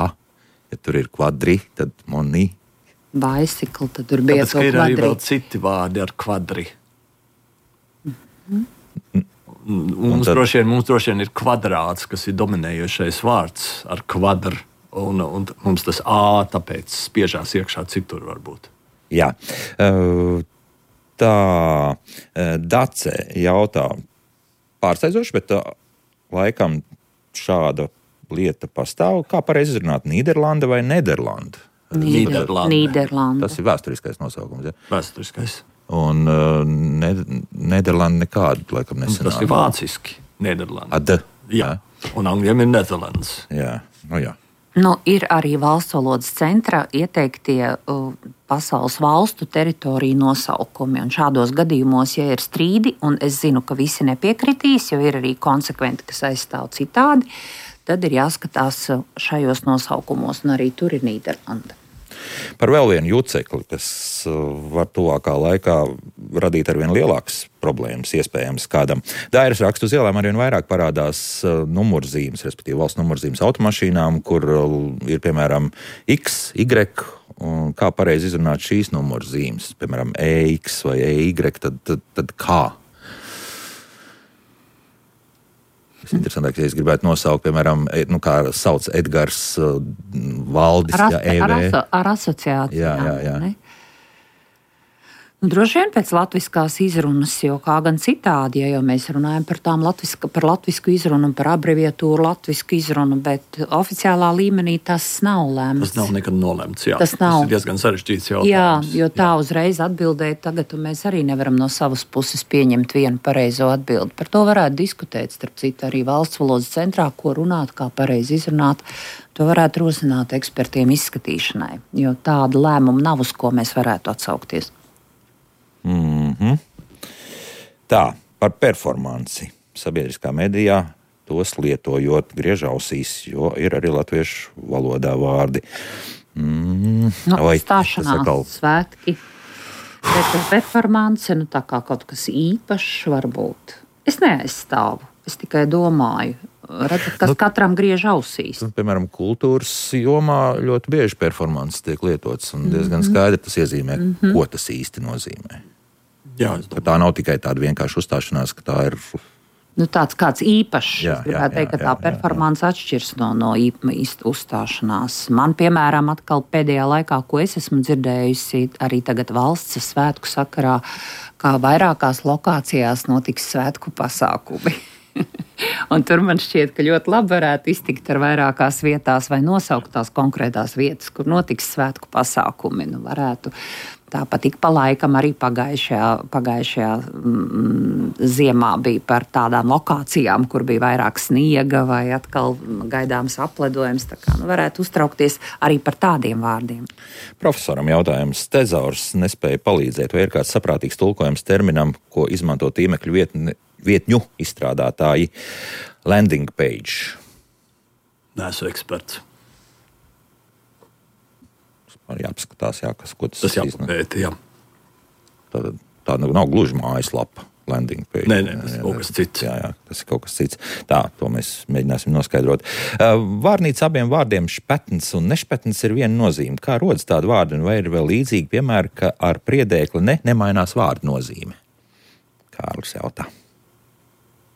Ja tur ir kvadri, tad moni. Bicycle, tad tur bija Tāpēc, to ka ir arī kvadri. vēl citi vārdi ar kvadri. Mm-hmm. Mums, tad... droši vien, mums droši vien ir kvadrāts, kas ir dominējošais vārds ar kvadru. Un, un mums tas A tāpēc spiežās iekšā citur varbūt. Jā. Uh, Tā Dace jautā pārsteidzoši, bet tā, laikam šāda lieta pastāv. Kā pareizi izrunāt, Nīderlanda vai Nederlanda? Nīderlanda. Nīderlanda. Tas ir vēsturiskais nosaukums. Ja? Vēsturiskais. Un uh, ne, Nederlanda nekādu, laikam, nesenāk. Tas ir vāciski. Nīderlanda. Ad. Jā. Un angļiem ir Netherlands. Jā, nu jā. Nu, ir arī valsts valodas centra ieteiktie uh, pasaules valstu teritoriju nosaukumi. Un šādos gadījumos, ja ir strīdi, un es zinu, ka visi nepiekritīs, jo ir arī konsekventi, kas aizstāv citādi, tad ir jāskatās šajos nosaukumos, un arī tur ir Nīderlanda. Par vēl vienu jucekli, kas var tuvākā laikā radīt arvien lielākas problēmas, iespējams, kādam. Dairas rakstu uz ielām arvien vairāk parādās numurzīmes, respektīvi valsts numurzīmes automašīnām, kur ir, piemēram, X, Y, un kā pareizi izrunāt šīs numurzīmes, piemēram, E X vai E Y, tad, tad, tad kā? Interesantāk, ja es gribētu nosaukt, piemēram, nu, kā sauc Edgars uh, Valdis, Ar, as, jā, E V. ar, aso, ar asociācijām. Jā, jā, jā. Ne? Nu, droši vien pēc latviskās izrunas, jo kā gan citādi, ja jau mēs runājam par tām latviska, par latvisku izrunu un par abreviatūru latvisku izrunu, bet oficiālā līmenī tas nav lēmts. Tas nav nekad nolemts, jā. Tas nav. Tas ir diezgan sarežģīts jautājums. Jā, jo tā jā. Uzreiz atbildēt tagad, un mēs arī nevaram no savas puses pieņemt vienu pareizo atbildi. Par to varētu diskutēt, starp citu, arī valsts valodas centrā, ko runāt, kā pareizi izrunāt. To varētu rosināt ekspertiem izskatīšanai, jo tāda lēmuma nav, uz ko mēs varētu atsaukties. Mm-hmm. Tā, par performanci sabiedriskā medijā, tos lietojot griež ausīs, jo ir arī latviešu valodā vārdi. Mm, nu, vai stāšanās, atkal... svētki, performance, nu tā kā kaut kas īpašs varbūt. Es neaizstāvu, es tikai domāju. Redzat, kas nu, katram griež ausīs. Piemēram, kultūras jomā ļoti bieži performances tiek lietots, un diezgan mm-hmm. skaidri tas iezīmē, mm-hmm. ko tas īsti nozīmē. Jā, tā nav tikai tāda vienkārša uzstāšanās, ka tā ir... Nu, tāds kāds īpašs. Jā, es gribētu jā, teikt, ka jā, tā jā, performance jā. Atšķirs no, no īsta uzstāšanās. Man, piemēram, atkal pēdējā laikā, ko es esmu dzirdējusi, arī tagad valsts svētku sakarā, kā vairākās lokācijās notiks svētku pasākumi. Un tur man šķiet, ka ļoti labi varētu iztikt ar vairākās vietās vai nosaukt tās konkrētās vietas, kur notiks svētku pasākumi. Nu, varētu tāpat ik pa laikam arī pagājušajā, pagājušajā mm, ziemā bija par tādām lokācijām, kur bija vairāk sniega vai atkal gaidāms apledojums. Tā kā nu, varētu uztraukties arī par tādiem vārdiem. Profesoram jautājums. Tezaurs nespēja palīdzēt, vai ir kāds saprātīgs tulkojums terminam, ko izmanto tīmekļu vietni vietņu izstrādātāji landing page. Neesmu eksperts. Man jāpaskatās, jā, kas, ko tas, tas jāpapēta, jā. Tā, tā nav gluži mājaslapa landing page. Nē, nē, tas ir kaut kas cits. Jā, jā, tas ir kaut kas cits. Tā, to mēs mēģināsim noskaidrot. Vārnīca abiem vārdiem špetns un nešpetns ir viena nozīme. Kā rodas tāda vārda, un vai ir vēl līdzīgi, piemēram, ka ar priedēkli ne, nemainās vārdu nozīme? Kārlis jautā.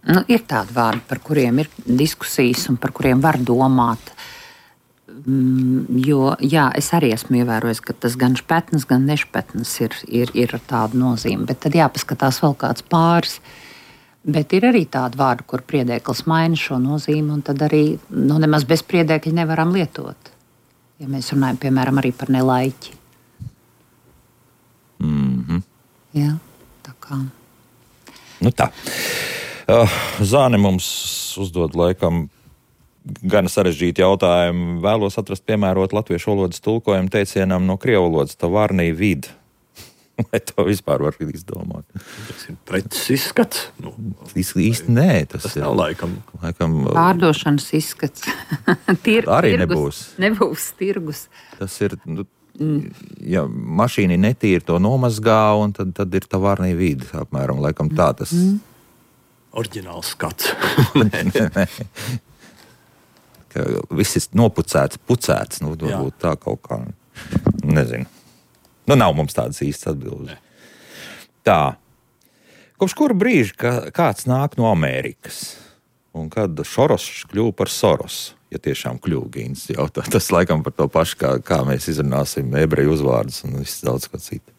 Nu, ir tādi vārdi, par kuriem ir diskusijas un par kuriem var domāt. Mm, jo, jā, es arī esmu ievērojis, ka tas gan špetns, gan nešpetns ir, ir, ir ar tādu nozīmi. Bet tad jāpaskatās vēl kāds pāris. Bet ir arī tādi vārdi, kur priedēklis maina šo nozīmi, un tad arī nu, nemaz bez priedēkļa nevaram lietot. Ja mēs runājam, piemēram, arī par nelaiķi. Mm-hmm. Jā, tā kā. Nu tā. Zāne mums uzdod laikam gan sarežģīti jautājumu. Vēlos atrast piemērot latviešu valodas tulkojumu teicienam no krievu valodas tavarnī vid. Vai to vispār var izdomāt? Tas ir preces izskats. Nu, īsti nē, tas, tas ir. nav laikam. laikam Pārdošanas izskats. Tir, arī tirgus, nebūs. Nebūs tirgus. Tas ir, nu, ja mašīna netīri to nomazgā, un tad, tad ir tavārnī vidi, apmēram, laikam tā tas. Mm. Oriģināls skats. nē, nē, nē. Ka viss ir nopucēts, pucēts, nu, varbūt tā kaut kā, nezinu. Nu, nav mums tādas īstas atbildes. Tā. Kopš kura brīža ka kāds nāk no Amerikas, un kad Šoros kļuva par Sorosu, ja tiešām kļuva, Gīns jautā, tas laikam par to pašu, kā, kā mēs izrunāsim ebreju uzvārdus un viss daudz ko citu.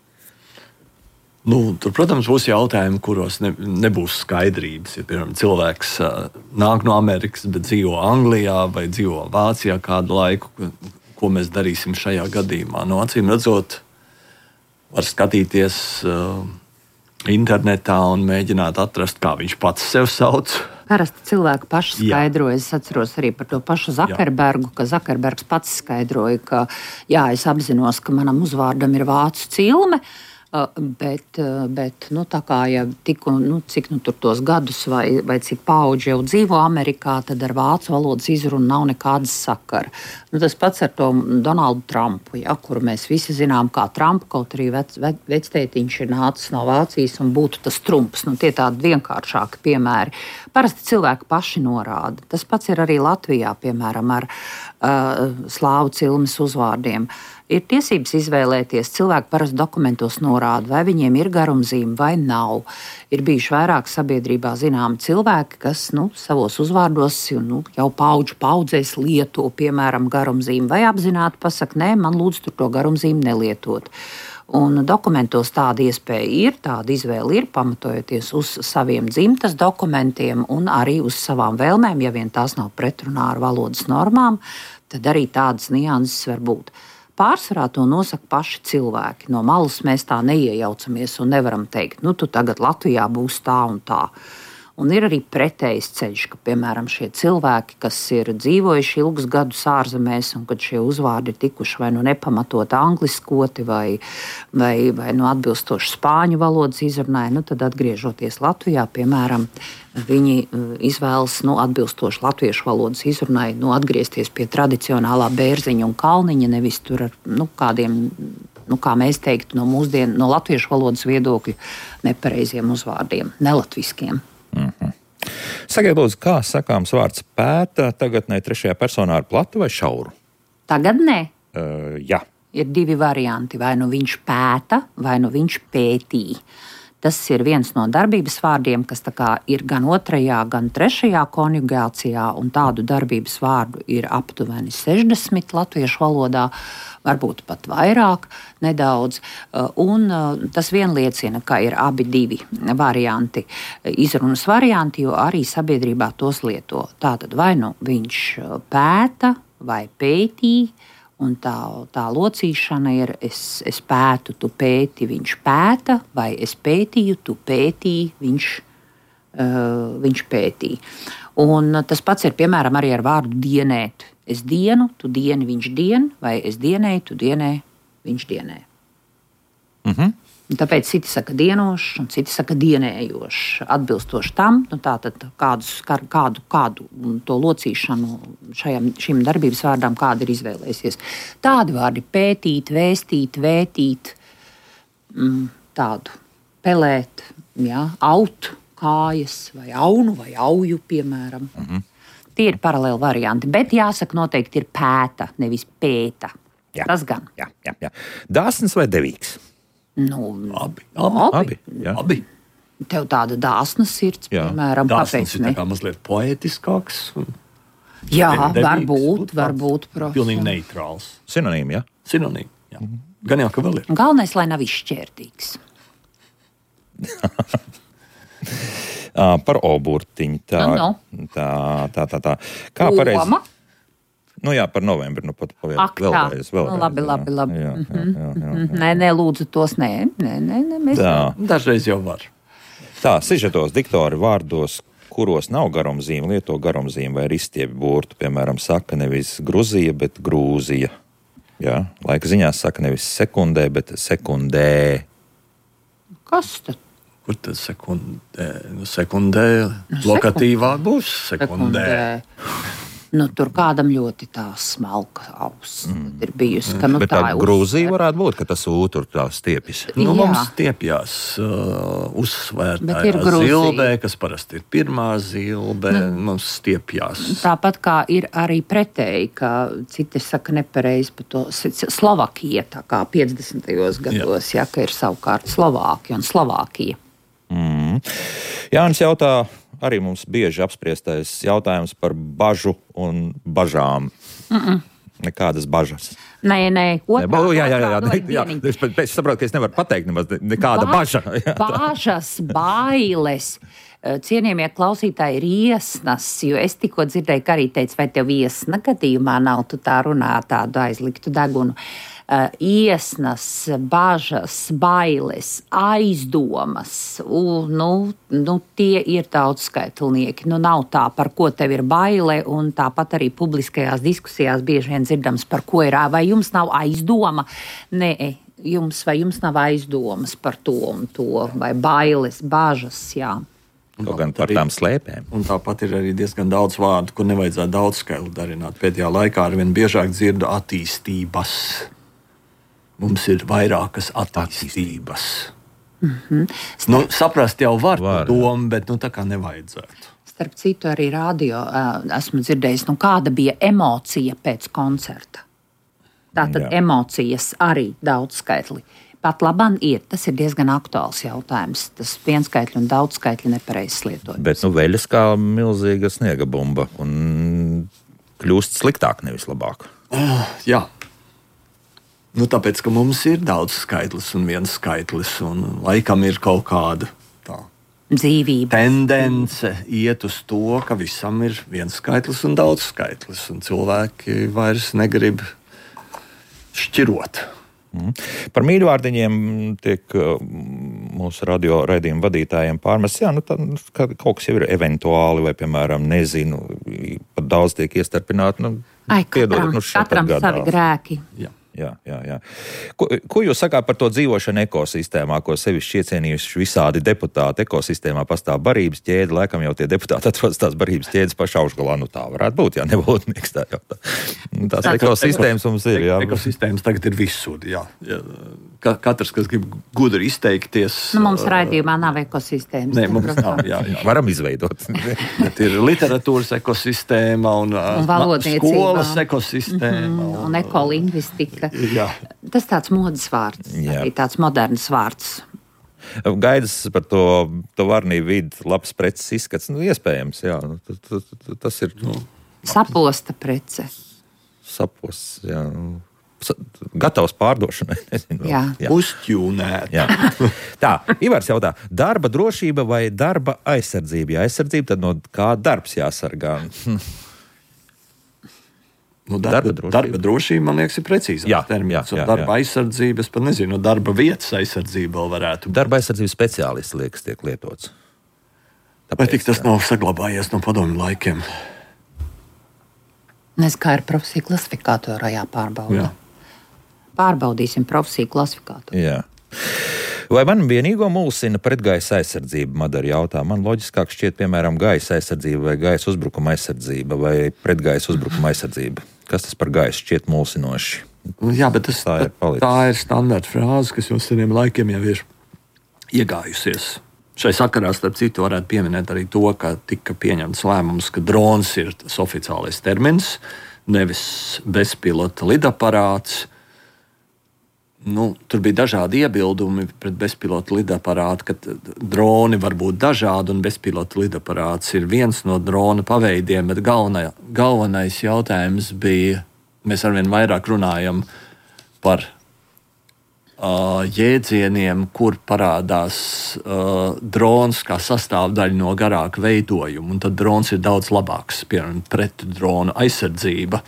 Nu, tur, protams, būs jautājumi, kuros ne, nebūs skaidrības. Ja, piemēram, cilvēks uh, nāk no Amerikas, bet dzīvo Anglijā vai dzīvo Vācijā kādu laiku, ko, ko mēs darīsim šajā gadījumā. No acīm redzot, var skatīties uh, internetā un mēģināt atrast, kā viņš pats sev sauc. Parasti cilvēki paši skaidroja. Es atceros arī par to pašu Zakerbergu, jā. Ka Zakerbergs pats skaidroja, ka jā, es apzinos, ka manam uzvārdam ir vācu cilme. Bet, bet nu, tā kā ja tiku, nu, cik nu, tur tos gadus vai, vai cik paudži jau dzīvo Amerikā, tad ar vācu valodas izrunu nav nekādas sakara. Nu, tas pats ar to Donaldu Trumpu, ja, kuru mēs visi zinām kā Trumpu, kaut arī vec, vec, vectētiņš ir nācis no Vācijas un būtu tas Trumps. Nu, tie tādi vienkāršāki piemēri. Parasti cilvēki paši norāda. Tas pats ir arī Latvijā, piemēram, ar uh, slāvu cilmes uzvārdiem. Ir tiesības izvēlēties, cilvēki parasti dokumentos norāda, vai viņiem ir garumzīme vai nav. Ir bijuši vairāk sabiedrībā zināmi cilvēki, kas nu, savos uzvārdos nu, jau paudžu paudzēs lieto, piemēram, garumzīmi, vai apzināti pasaka, nē, man lūdzu tur to garumzīmi nelietot. Un dokumentos tāda iespēja ir, tāda izvēle ir, pamatojoties uz saviem dzimtas dokumentiem un arī uz savām vēlmēm, ja vien tās nav pretrunā ar valodas normām, tad arī tādas nianses var būt. Pārsvarā to nosaka paši cilvēki. No malas mēs tā neiejaucamies un nevaram teikt, nu, tu tagad Latvijā būs tā un tā. Un ir arī pretējs ceļš, ka, piemēram, šie cilvēki, kas ir dzīvojuši ilgus gadus ārzemēs, un kad šie uzvārdi ir tikuši vai nu nepamatot angliskoti, vai, vai, vai nu atbilstoši spāņu valodas izrunai, nu, tad atgriežoties Latvijā, piemēram, viņi izvēlas nu, atbilstoši latviešu valodas izrunai nu, atgriezties pie tradicionālā bērziņa un kalniņa, nevis tur ar nu, kādiem, nu, kā mēs teiktu, no mūsdienu, no latviešu valodas viedokļu nepareiziem uzvārdiem, nelatviskiem. Mm-hmm. Sakiet, lūdzu, kā sakāms vārds pēta tagadnē trešajā personā ar platu vai šauru? Tagad nē. Uh, jā. Ir divi varianti. Vai nu viņš pēta, vai nu viņš pētīja. Tas ir viens no darbības vārdiem, kas tā kā ir gan otrajā, gan trešajā konjugācijā, un tādu darbības vārdu ir aptuveni sešdesmit latviešu valodā, varbūt pat vairāk, nedaudz. Un tas vien liecina, ka ir abi divi varianti, izrunas varianti, jo arī sabiedrībā tos lieto. Tātad vai nu viņš pēta vai pētīja, un tā, tā locīšana ir es, es pētu, tu pēti, viņš pēta, vai es pētīju, tu pētīji, viņš, uh, viņš pētīja. Un tas pats ir piemēram arī ar vārdu dienēt. Es dienu, tu dieni, viņš dien, vai es dienēju, tu dienē, viņš dienē. Mhm. Tāpēc citi saka dienošs, un citi saka dienējošs. Atbilstoši tam, nu tātad kādus, kādu, kādu to locīšanu šajam, šim darbības vārdām kāda ir izvēlējusies. Tādi vārdi pētīt, vēstīt, vētīt, tādu pelēt, jā, aut, kājas, vai aunu, vai auju, piemēram. Mhm. Tie ir paralēli varianti, bet jāsaka noteikti ir pēta, nevis pēta. Jā. Tas gan. Jā, jā, jā. Dāsns vai devīgs? Nu, abi. Abi. abi, jā. abi. Tev tāda dāsna sirds, jā. Piemēram, dāsnas kāpēc ir ne? Tā kā mazliet poetiskāks. Un... Jā, devīgs, varbūt, varbūt. Pilnīgi neitrāls. Sinonīmi, jā? Sinonīmi, jā. Mm-hmm. Gan jau, ka vēl ir. Galvenais, lai nav izšķērtīgs. Par oburtiņu. Tā, no, no. tā, tā, tā, tā. Kā pareizi? Nu jā, par novembri, nu pat pavēl, Ak, vēlreiz, vēlreiz. Nu, labi, labi, labi. Jā, jā, jā, jā, jā. Nē, nē, lūdzu tos, nē, nē, nē, nē mēs... Tā. Dažreiz jau var. Tā, sižetos diktori vārdos, kuros nav garumzīme, lieto garumzīme vai ristiebi burtu, piemēram, saka nevis Gruzija, bet Grūzija. Jā, laika ziņās saka nevis sekundē, bet sekundē. Kas tad? Kur tad sekundē? Nu, sekundē nu, lokatīvā būs sekundē. sekundē. Nu, tur kādam ļoti tā smalka auss mm. ir bijusi. Ka, nu, Bet tā, tā Grūzija varētu būt, ka tas ūtur tā stiepjas. Nu, mums stiepjās uh, uzsvērtājā zilbē, kas parasti ir pirmā zilbē, nu, mums stiepjās. Tāpat kā ir arī pretēji, ka citi saka nepareizi par to Slovakija, tā kā piecdesmitajos gados, ja, ka ir savukārt Slovākija un Slovākija. Mm. Jānis jautā, arī mums bieži apspriestais jautājums par bažu un bažām. Mm-mm. Nekādas bažas. Nē, nē, otrā. Ne, jā, jā, jā, jā, jā. Es, es saprotu, ka es nevaru pateikt nemaz nekāda ba- baža. Jā, bažas, bailes. Cienījamie klausītāji ir iesnas, jo es tikko dzirdēju, ka arī teica, vai tev iesna gadījumā nav, tu tā runā tādu aizliktu degunu. Uh, iesnas, bažas, bailes, aizdomas, u, nu, nu, tie ir daudzskaitlnieki. Nu, nav tā, par ko tev ir baile, un tāpat arī publiskajās diskusijās bieži vien dzirdams, par ko ir, vai jums nav aizdoma? Nē, jums vai jums nav aizdomas par to un to, vai bailes, bažas, jā. Kaut gan par tām slēpēm. Un tāpat ir arī diezgan daudz vārdu, kur nevajadzētu daudzskaitli darināt. Pēdējā laikā arvien biežāk dzirdu attīstības. Mums ir vairākas attīstības. Mm-hmm. Nu, saprast jau var, var domu, bet nu, tā kā nevajadzētu. Starp citu, arī radio esmu dzirdējis, nu, kāda bija emocija pēc koncerta. Tātad Jā. Emocijas arī daudzskaitli. Pat labam ir, tas ir diezgan aktuāls jautājums. Tas vienskaitļi un daudzskaitļi nepareizs lietojums. Bet nu veļas kā milzīga sniega bumba un kļūst sliktāk, nevis labāk. Uh, jā. Nu, tāpēc, ka mums ir daudz skaitlis un viens skaitlis, un laikam ir kaut kāda tā dzīvība. Tendence iet uz to, ka visam ir viens skaitlis un daudz skaitlis, un cilvēki vairs negrib šķirot. Mm. Par mīļvārdiņiem tiek mūsu radio raidījuma vadītājiem pārmests, jā, nu, tā, kaut kas jau ir eventuāli, vai, piemēram, nezinu, pat daudz tiek iestarpināti. Nu, Ai, katram, nu, katram savi grēki. Jā. Jā, jā, jā. Ko, ko jūs sakāt par to dzīvošanu ekosistēmā, ko sevišķi iecienījuši visādi deputāti? Ekosistēmā pastāv barības ķēde, laikam jau tie deputāti atrodas tās barības ķēdes pašā augšgalā. Nu tā varētu būt, jā, nebūtnieks tā jau tā. Tās tā, ekosistēmas mums ir, jā. Ekosistēmas tagad ir visur, jā. jā. Katrs, kas grib gudri izteikties. Nu, mums raidījumā nav ekosistēmas. Nē, mums nav, jā, jā. Varam izveidot. Bet ir literatūras ekosistēma un, un skolas ekosistēma. Mm-hmm, un, un ekolingvistika. Jā. Tas tāds modes vārds, arī tāds moderns vārds. Gaidas par to, to varnību vidi, labs preces izskats, nu, iespējams, jā. Tas ir... Nu, saposta prece. Saposts, jā. Gatavs pārdošanai. Nezinu, jā. Jā. Uzķūnēt. Jā. Tā, Ivars jautā, darba drošība vai darba aizsardzība? Ja aizsardzība, tad no kā darbs jāsargā? Nu, darba, darba, drošība. darba drošība, man liekas, ir precīzāks termins. Jā, jā, darba jā. aizsardzība, es pat nezinu, darba vietas aizsardzība vēl varētu būt. Darba aizsardzības speciālists, liekas, tiek lietots. Tāpēc, vai tik tas nav saglabājies no padomju laikiem? Nes kā ir profesija klasifikātorā jāpārbauda. Jā. Pārbaudīsim profesiju klasifikātoru. Jā. Vai man vienīgo mulsina pretgaisa aizsardzība, Madara jautā? Man loģiskāk šķiet, piemēram, gaisa aizsardzība vai gaisa uzbrukuma aizsardzība vai pretgaisa uzbrukuma aizsardzība. Kas tas par gaisu šķiet mulsinoši? Jā, bet tas, tā, ir tā, tā ir standarta frāze, kas jau seniem laikiem jau ir iegājusies. Šai sakarā, starp citu, varētu pieminēt arī to, ka tika pieņemts lēmums, ka drons ir tas oficiālais termins, nevis bezpilota lidaparāts. Nu, tur bija dažādi iebildumi pret bezpilota lidaparātu, ka droni var būt dažādi un bezpilota lidaparāts ir viens no drona paveidiem, bet galvenai, galvenais jautājums bija, mēs arvien vairāk runājam par uh, jēdzieniem, kur parādās uh, drons kā sastāvdaļa no garāka veidojuma, un tad drons ir daudz labāks, piemēram, pret drona aizsardzība,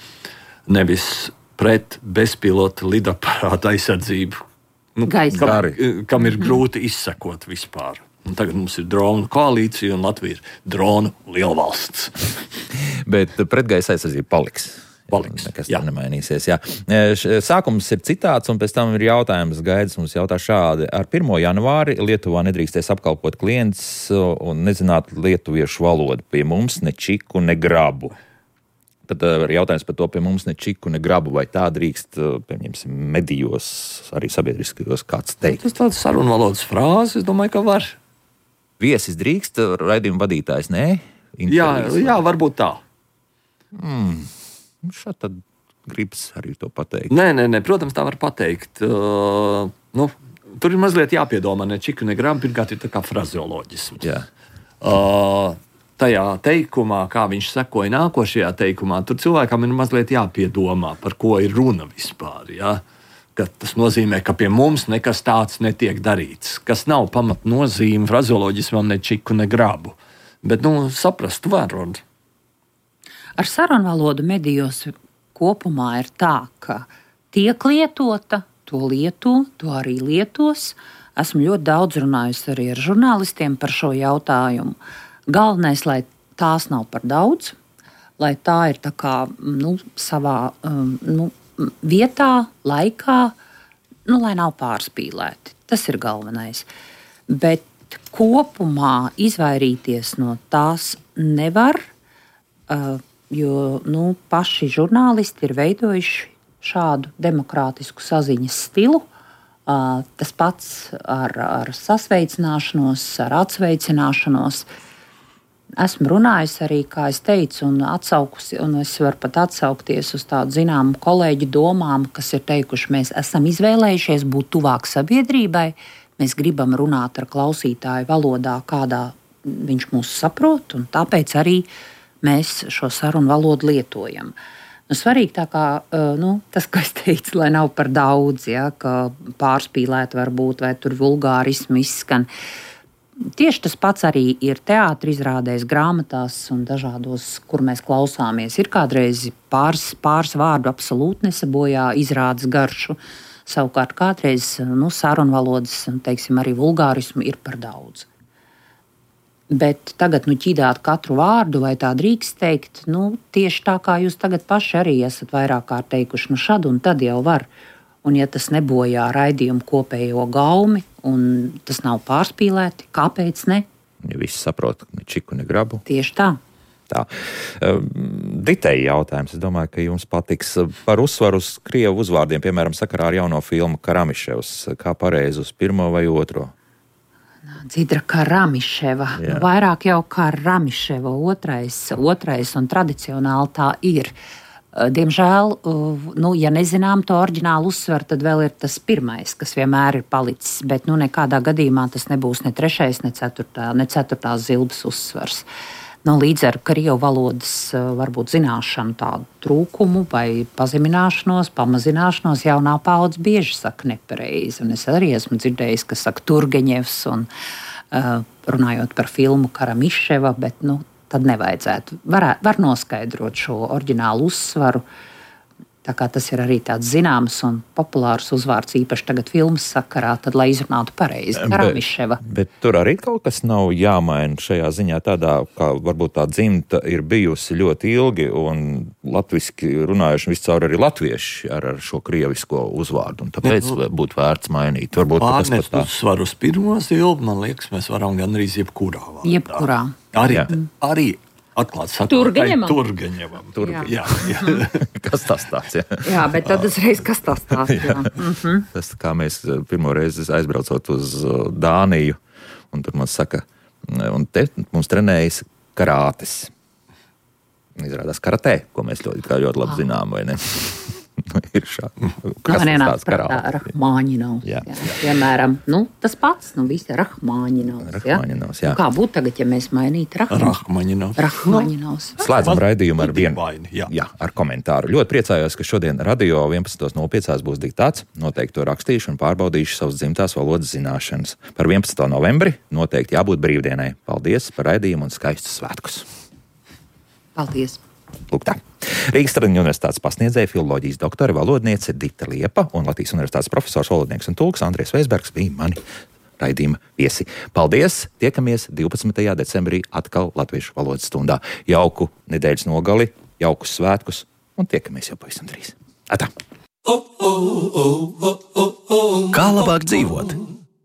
nevis pret bezpilota lidaparāta aizsardzību, nu, kam, kam ir grūti izsekot vispār. Un tagad mums ir dronu koalīcija un Latvija ir dronu lielvalsts. Bet pretgaisa aizsardzība paliks. Paliks. Nekas tur nemainīsies. Jā. Sākums ir citāts, un pēc tam ir jautājums gaidis. Mums jautā šādi. Ar pirmo janvāri Lietuvā nedrīkstēs apkalpot klients un nezināt lietuviešu valodu. Pie mums ne čiku, ne grabu. Tad ir jautājums par to, pie mums ne čiku, ne grabu. Vai tā drīkst, pieņemsim, medijos, arī sabiedriskajos kāds teikt? Tas tāds sarunvalodas frāze, es domāju, ka var. Viesis drīkst, raidījuma vadītājs nē? Jā, jā, varbūt tā. Mm. Šādi tad gribas arī to pateikt. Nē, nē, nē, protams, tā var pateikt. Uh, nu, tur ir mazliet jāpiedomā, ne čiku, ne grabu. Pirmkārt, ir tā kā frazeoloģisms. Jā. Uh, tajā teikumā, kā viņš sekoja nākošajā teikumā, tur cilvēkam ir mazliet jāpiedomā, par ko ir runa vispār. Ja? Ka tas nozīmē, ka pie mums nekas tāds netiek darīts, kas nav pamatnozīme frazeoloģismam, ne čiku, ne grabu. Bet, nu, saprast var. Ar sarunvalodu medijos kopumā ir tā, ka tiek lietota, to lieto, to arī lietos. Esmu ļoti daudz runājusi arī ar žurnālistiem par šo jautājumu. Galvenais, lai tās nav par daudz, lai tā ir tā kā, nu, savā um, nu, vietā, laikā, nu, lai nav pārspīlēti. Tas ir galvenais. Bet kopumā izvairīties no tās nevar, uh, jo nu, paši žurnālisti ir veidojuši šādu demokrātisku saziņas stilu. Uh, tas pats ar, ar sasveicināšanos, ar atsveicināšanos. Esmu runājusi arī, kā es teicu, un atsaukusi, un es varu pat atsaukties uz tādu zināmu kolēģu domām, kas ir teikuši, mēs esam izvēlējušies būt tuvāk sabiedrībai, mēs gribam runāt ar klausītāju valodā, kādā viņš mūs saprot, un tāpēc arī mēs šo sarunu valodu lietojam. Nu, svarīgi tā kā, nu, tas, ko es teicu, lai nav par daudz, ja, ka pārspīlēt varbūt, vai tur vulgārismu izskan. Tieši tas pats arī ir teātra izrādēs, grāmatās un dažādos, kur mēs klausāmies. Ir kādreiz pāris, pāris vārdu absolūti nesabojā izrādes garšu, savukārt kādreiz nu, sarunvalodas, teiksim, arī vulgārismu ir par daudz. Bet tagad nu, ķidāt katru vārdu, vai tā drīkst teikt, nu, tieši tā kā jūs tagad paši arī esat vairāk kārt teikuši, nu šad un tad jau var. Un ja tas nebojā raidījumu kopējo gaumi, un tas nav pārspīlēti, kāpēc ne? Ja visi saprot, ne čiku, ne grabu. Tieši tā. Tā. Ditei jautājums, es domāju, ka jums patiks par uzsvaru uz krievu uzvārdiem, piemēram, sakarā ar jauno filmu Karamiševs. Kā pareizi uz pirmo vai otro? Dzidra Karamiševa. Nu, vairāk jau Karamiševa otrais, otrais un tradicionāli tā ir. Diemžēl, nu, ja nezinām to oriģinālu uzsvaru, tad vēl ir tas pirmais, kas vienmēr ir palicis, bet nu, nekādā gadījumā tas nebūs ne trešais, ne, ceturtā, ne ceturtās zilbes uzsvars. Nu, līdz ar krievu valodas varbūt zināšanu tādu trūkumu vai pazemināšanos, pamazināšanos jaunā paudze bieži saka nepareizi. Un es arī esmu dzirdējis, ka saka Turgeņevs un uh, runājot par filmu Karamiševa, bet nu, tad nevajadzētu. Var, var noskaidrot šo oriģinālu uzsvaru. Tā kā tas ir arī tāds zināms un populārs uzvārds, īpaši tagad filmas sakarā, tad, lai izrunātu pareizi, Karamiševa. Bet, bet tur arī kaut kas nav jāmaina šajā ziņā tādā, kā varbūt tā dzimta ir bijusi ļoti ilgi un latviski runājuši viscaur arī latvieši ar, ar šo krievisko uzvārdu, un tāpēc ne, nu, būtu vērts mainīt. Varbūt pārnest tā... uzsvaru uz pirmo zilbu, man liekas, mēs varam gandrīz jebkurā vārdā. Jebkurā. Arī, arī atklāt sakot, Turgeņevam. Turgeņevam. Turgeņevam. Jā, jā. Kas tas tāds, jā? Jā, bet tad uzreiz, kas tas tāds, jā. Mm-hmm. Tas, kā mēs pirmo reizi aizbraucot uz Dāniju, un tur mums saka, un te mums trenējas karātes. Izrādās karatē, ko mēs ļoti, ļoti labi zinām, vai ne? Ir šādi. Kas nu, tas tāds karāte? Rahmāņinovs. Jā. Jā. Piemēram, nu, tas pats, nu, visi Rahmāņinovs. Rahmāņinovs, jā. Nu, kā būtu tagad, ja mēs mainītu Rahmāņinovs? Rahmāņinovs. Slēdzam raidījumu ar vienu, jā. Jā, ar komentāru. Ļoti priecājos, ka šodien radio vienpadsmit nulle pieci būs diktāts. Noteikti to rakstīšu un pārbaudīšu savas dzimtās valodas zināšanas. Par vienpadsmito novembri noteikti jābūt brīvdienai. Paldies par raidījumu un skaistus svētkus. Paldies. Lūk tā. Rīgas Tradiņu universitātes pasniedzēja filoloģijas doktora valodniece Dita Liepa un Latvijas universitātes profesors, valodnieks un tulks Andries Veisbergs bija mani raidījuma viesi. Paldies! Tiekamies divpadsmitajā decembrī atkal Latviešu valodas stundā. Jauku nedēļas nogali, jaukus svētkus un tiekamies jau pavisam drīz. Atā! Kā labāk dzīvot?